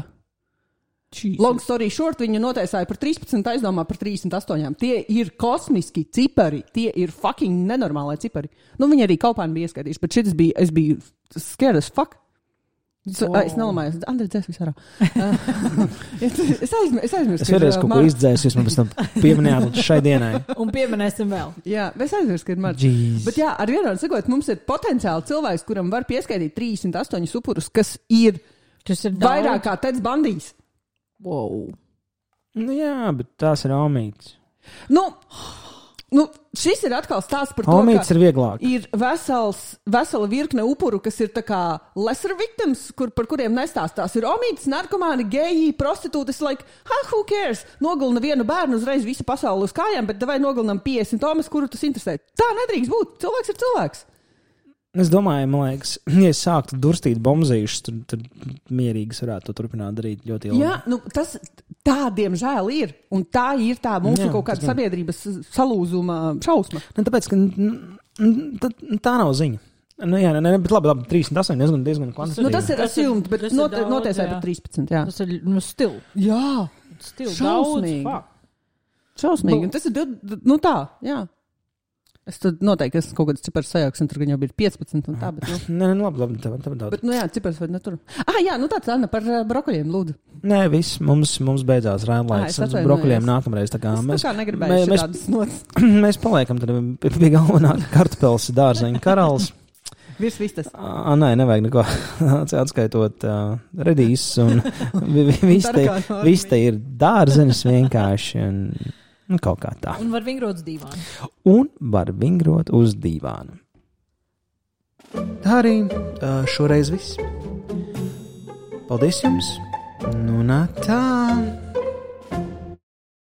Jesus. Long story short, viņa notiesāja par trīspadsmit, aizdomā par trīsdesmit astoņi. Tie ir kosmiski cipari, tie ir fucking nenormālai cipari. Nu, viņi arī kaupāni bija ieskaidījuši, bet šis bija, es biju scared as fuck. So, oh. Es nelamāju, Andrei dzēs visārā. es aizmirstu. Es, aizmirst, es vēlreiz kaut ko izdzēs, jūs man pēc tam pieminējāt šai dienai. Un pieminēsim vēl. Jā, es aizmirstu, ka ir marģi. Bet jā, ar vienādu sakot, mums ir potenciāli cilvēks, kuram var pieskaitīt trīsdesmit astoņi upurus, kas ir, kas ir vairāk kā Teds Bandijs. Wow. Nu jā, bet tās ir omītes. Nu, nu, šis ir atkal stāsts par to, omītes ir vieglāk. Ir vesels, vesela virkne upuru, kas ir tā kā lesser victims, kur, par kuriem nestāstās. Ir omītes, narkomāni, geji, prostitūtas, like, ha, who cares? Nogalina vienu bērnu, uzreiz visa pasaule uz kājām, bet davai nogalinām piecdesmit tomas, kuru tas interesē. Tā nedrīkst būt. Cilvēks ir cilvēks. Es domāju, man liekas, ja es sāktu durstīt bombzīšus, tad, tad mierīgi varētu to turpināt darīt ļoti ilgi. Jā, nu, tas tā, diemžēl, ir. Un tā ir tā mūsu jā, kaut kāda sabiedrības salūzuma šausma. Ne, tāpēc, ka tā, tā nav ziņa. Nu, jā, ne, bet labi, labi, trīsdesmit astoņi diezgan, diezgan kvantitīvi. Nu, tas ir assumed, bet not, notiesāja par trīspadsmit, jā. Tas ir, nu, stil. Jā, stil. Šausmīgi. Daudz, šausmīgi. Un tas ir, nu tā, jā. Es tad noteikti esmu kaut kāds cipars sajauks, un tur gan jau bija piecpadsmit un tā, bet, nu. Nē, nu, labi, labi, tev, tev daudz. Bet, nu jā, cipars vai netur. Ah, jā, nu tāds, Anna, par uh, brokoļiem, lūdzu. Nē, viss, mums, mums beidzās rēmlaiks. Ah, brokoļiem nākamreiz, tā kā es mēs. Tā kā negribēju mēs, šādas notas. Mēs paliekam tad pie galvenā kartupels dārzeņa karalis. Virs vistas. Ah, nē, nevajag neko atskaitot uh, redīs, un viss te ir dārzenis vienkārši, un... Nu, kaut kā tā. Un var vingrot uz dīvānu. Un var vingrot uz dīvānu. Tā arī šoreiz viss. Paldies jums. Nu, nā tā.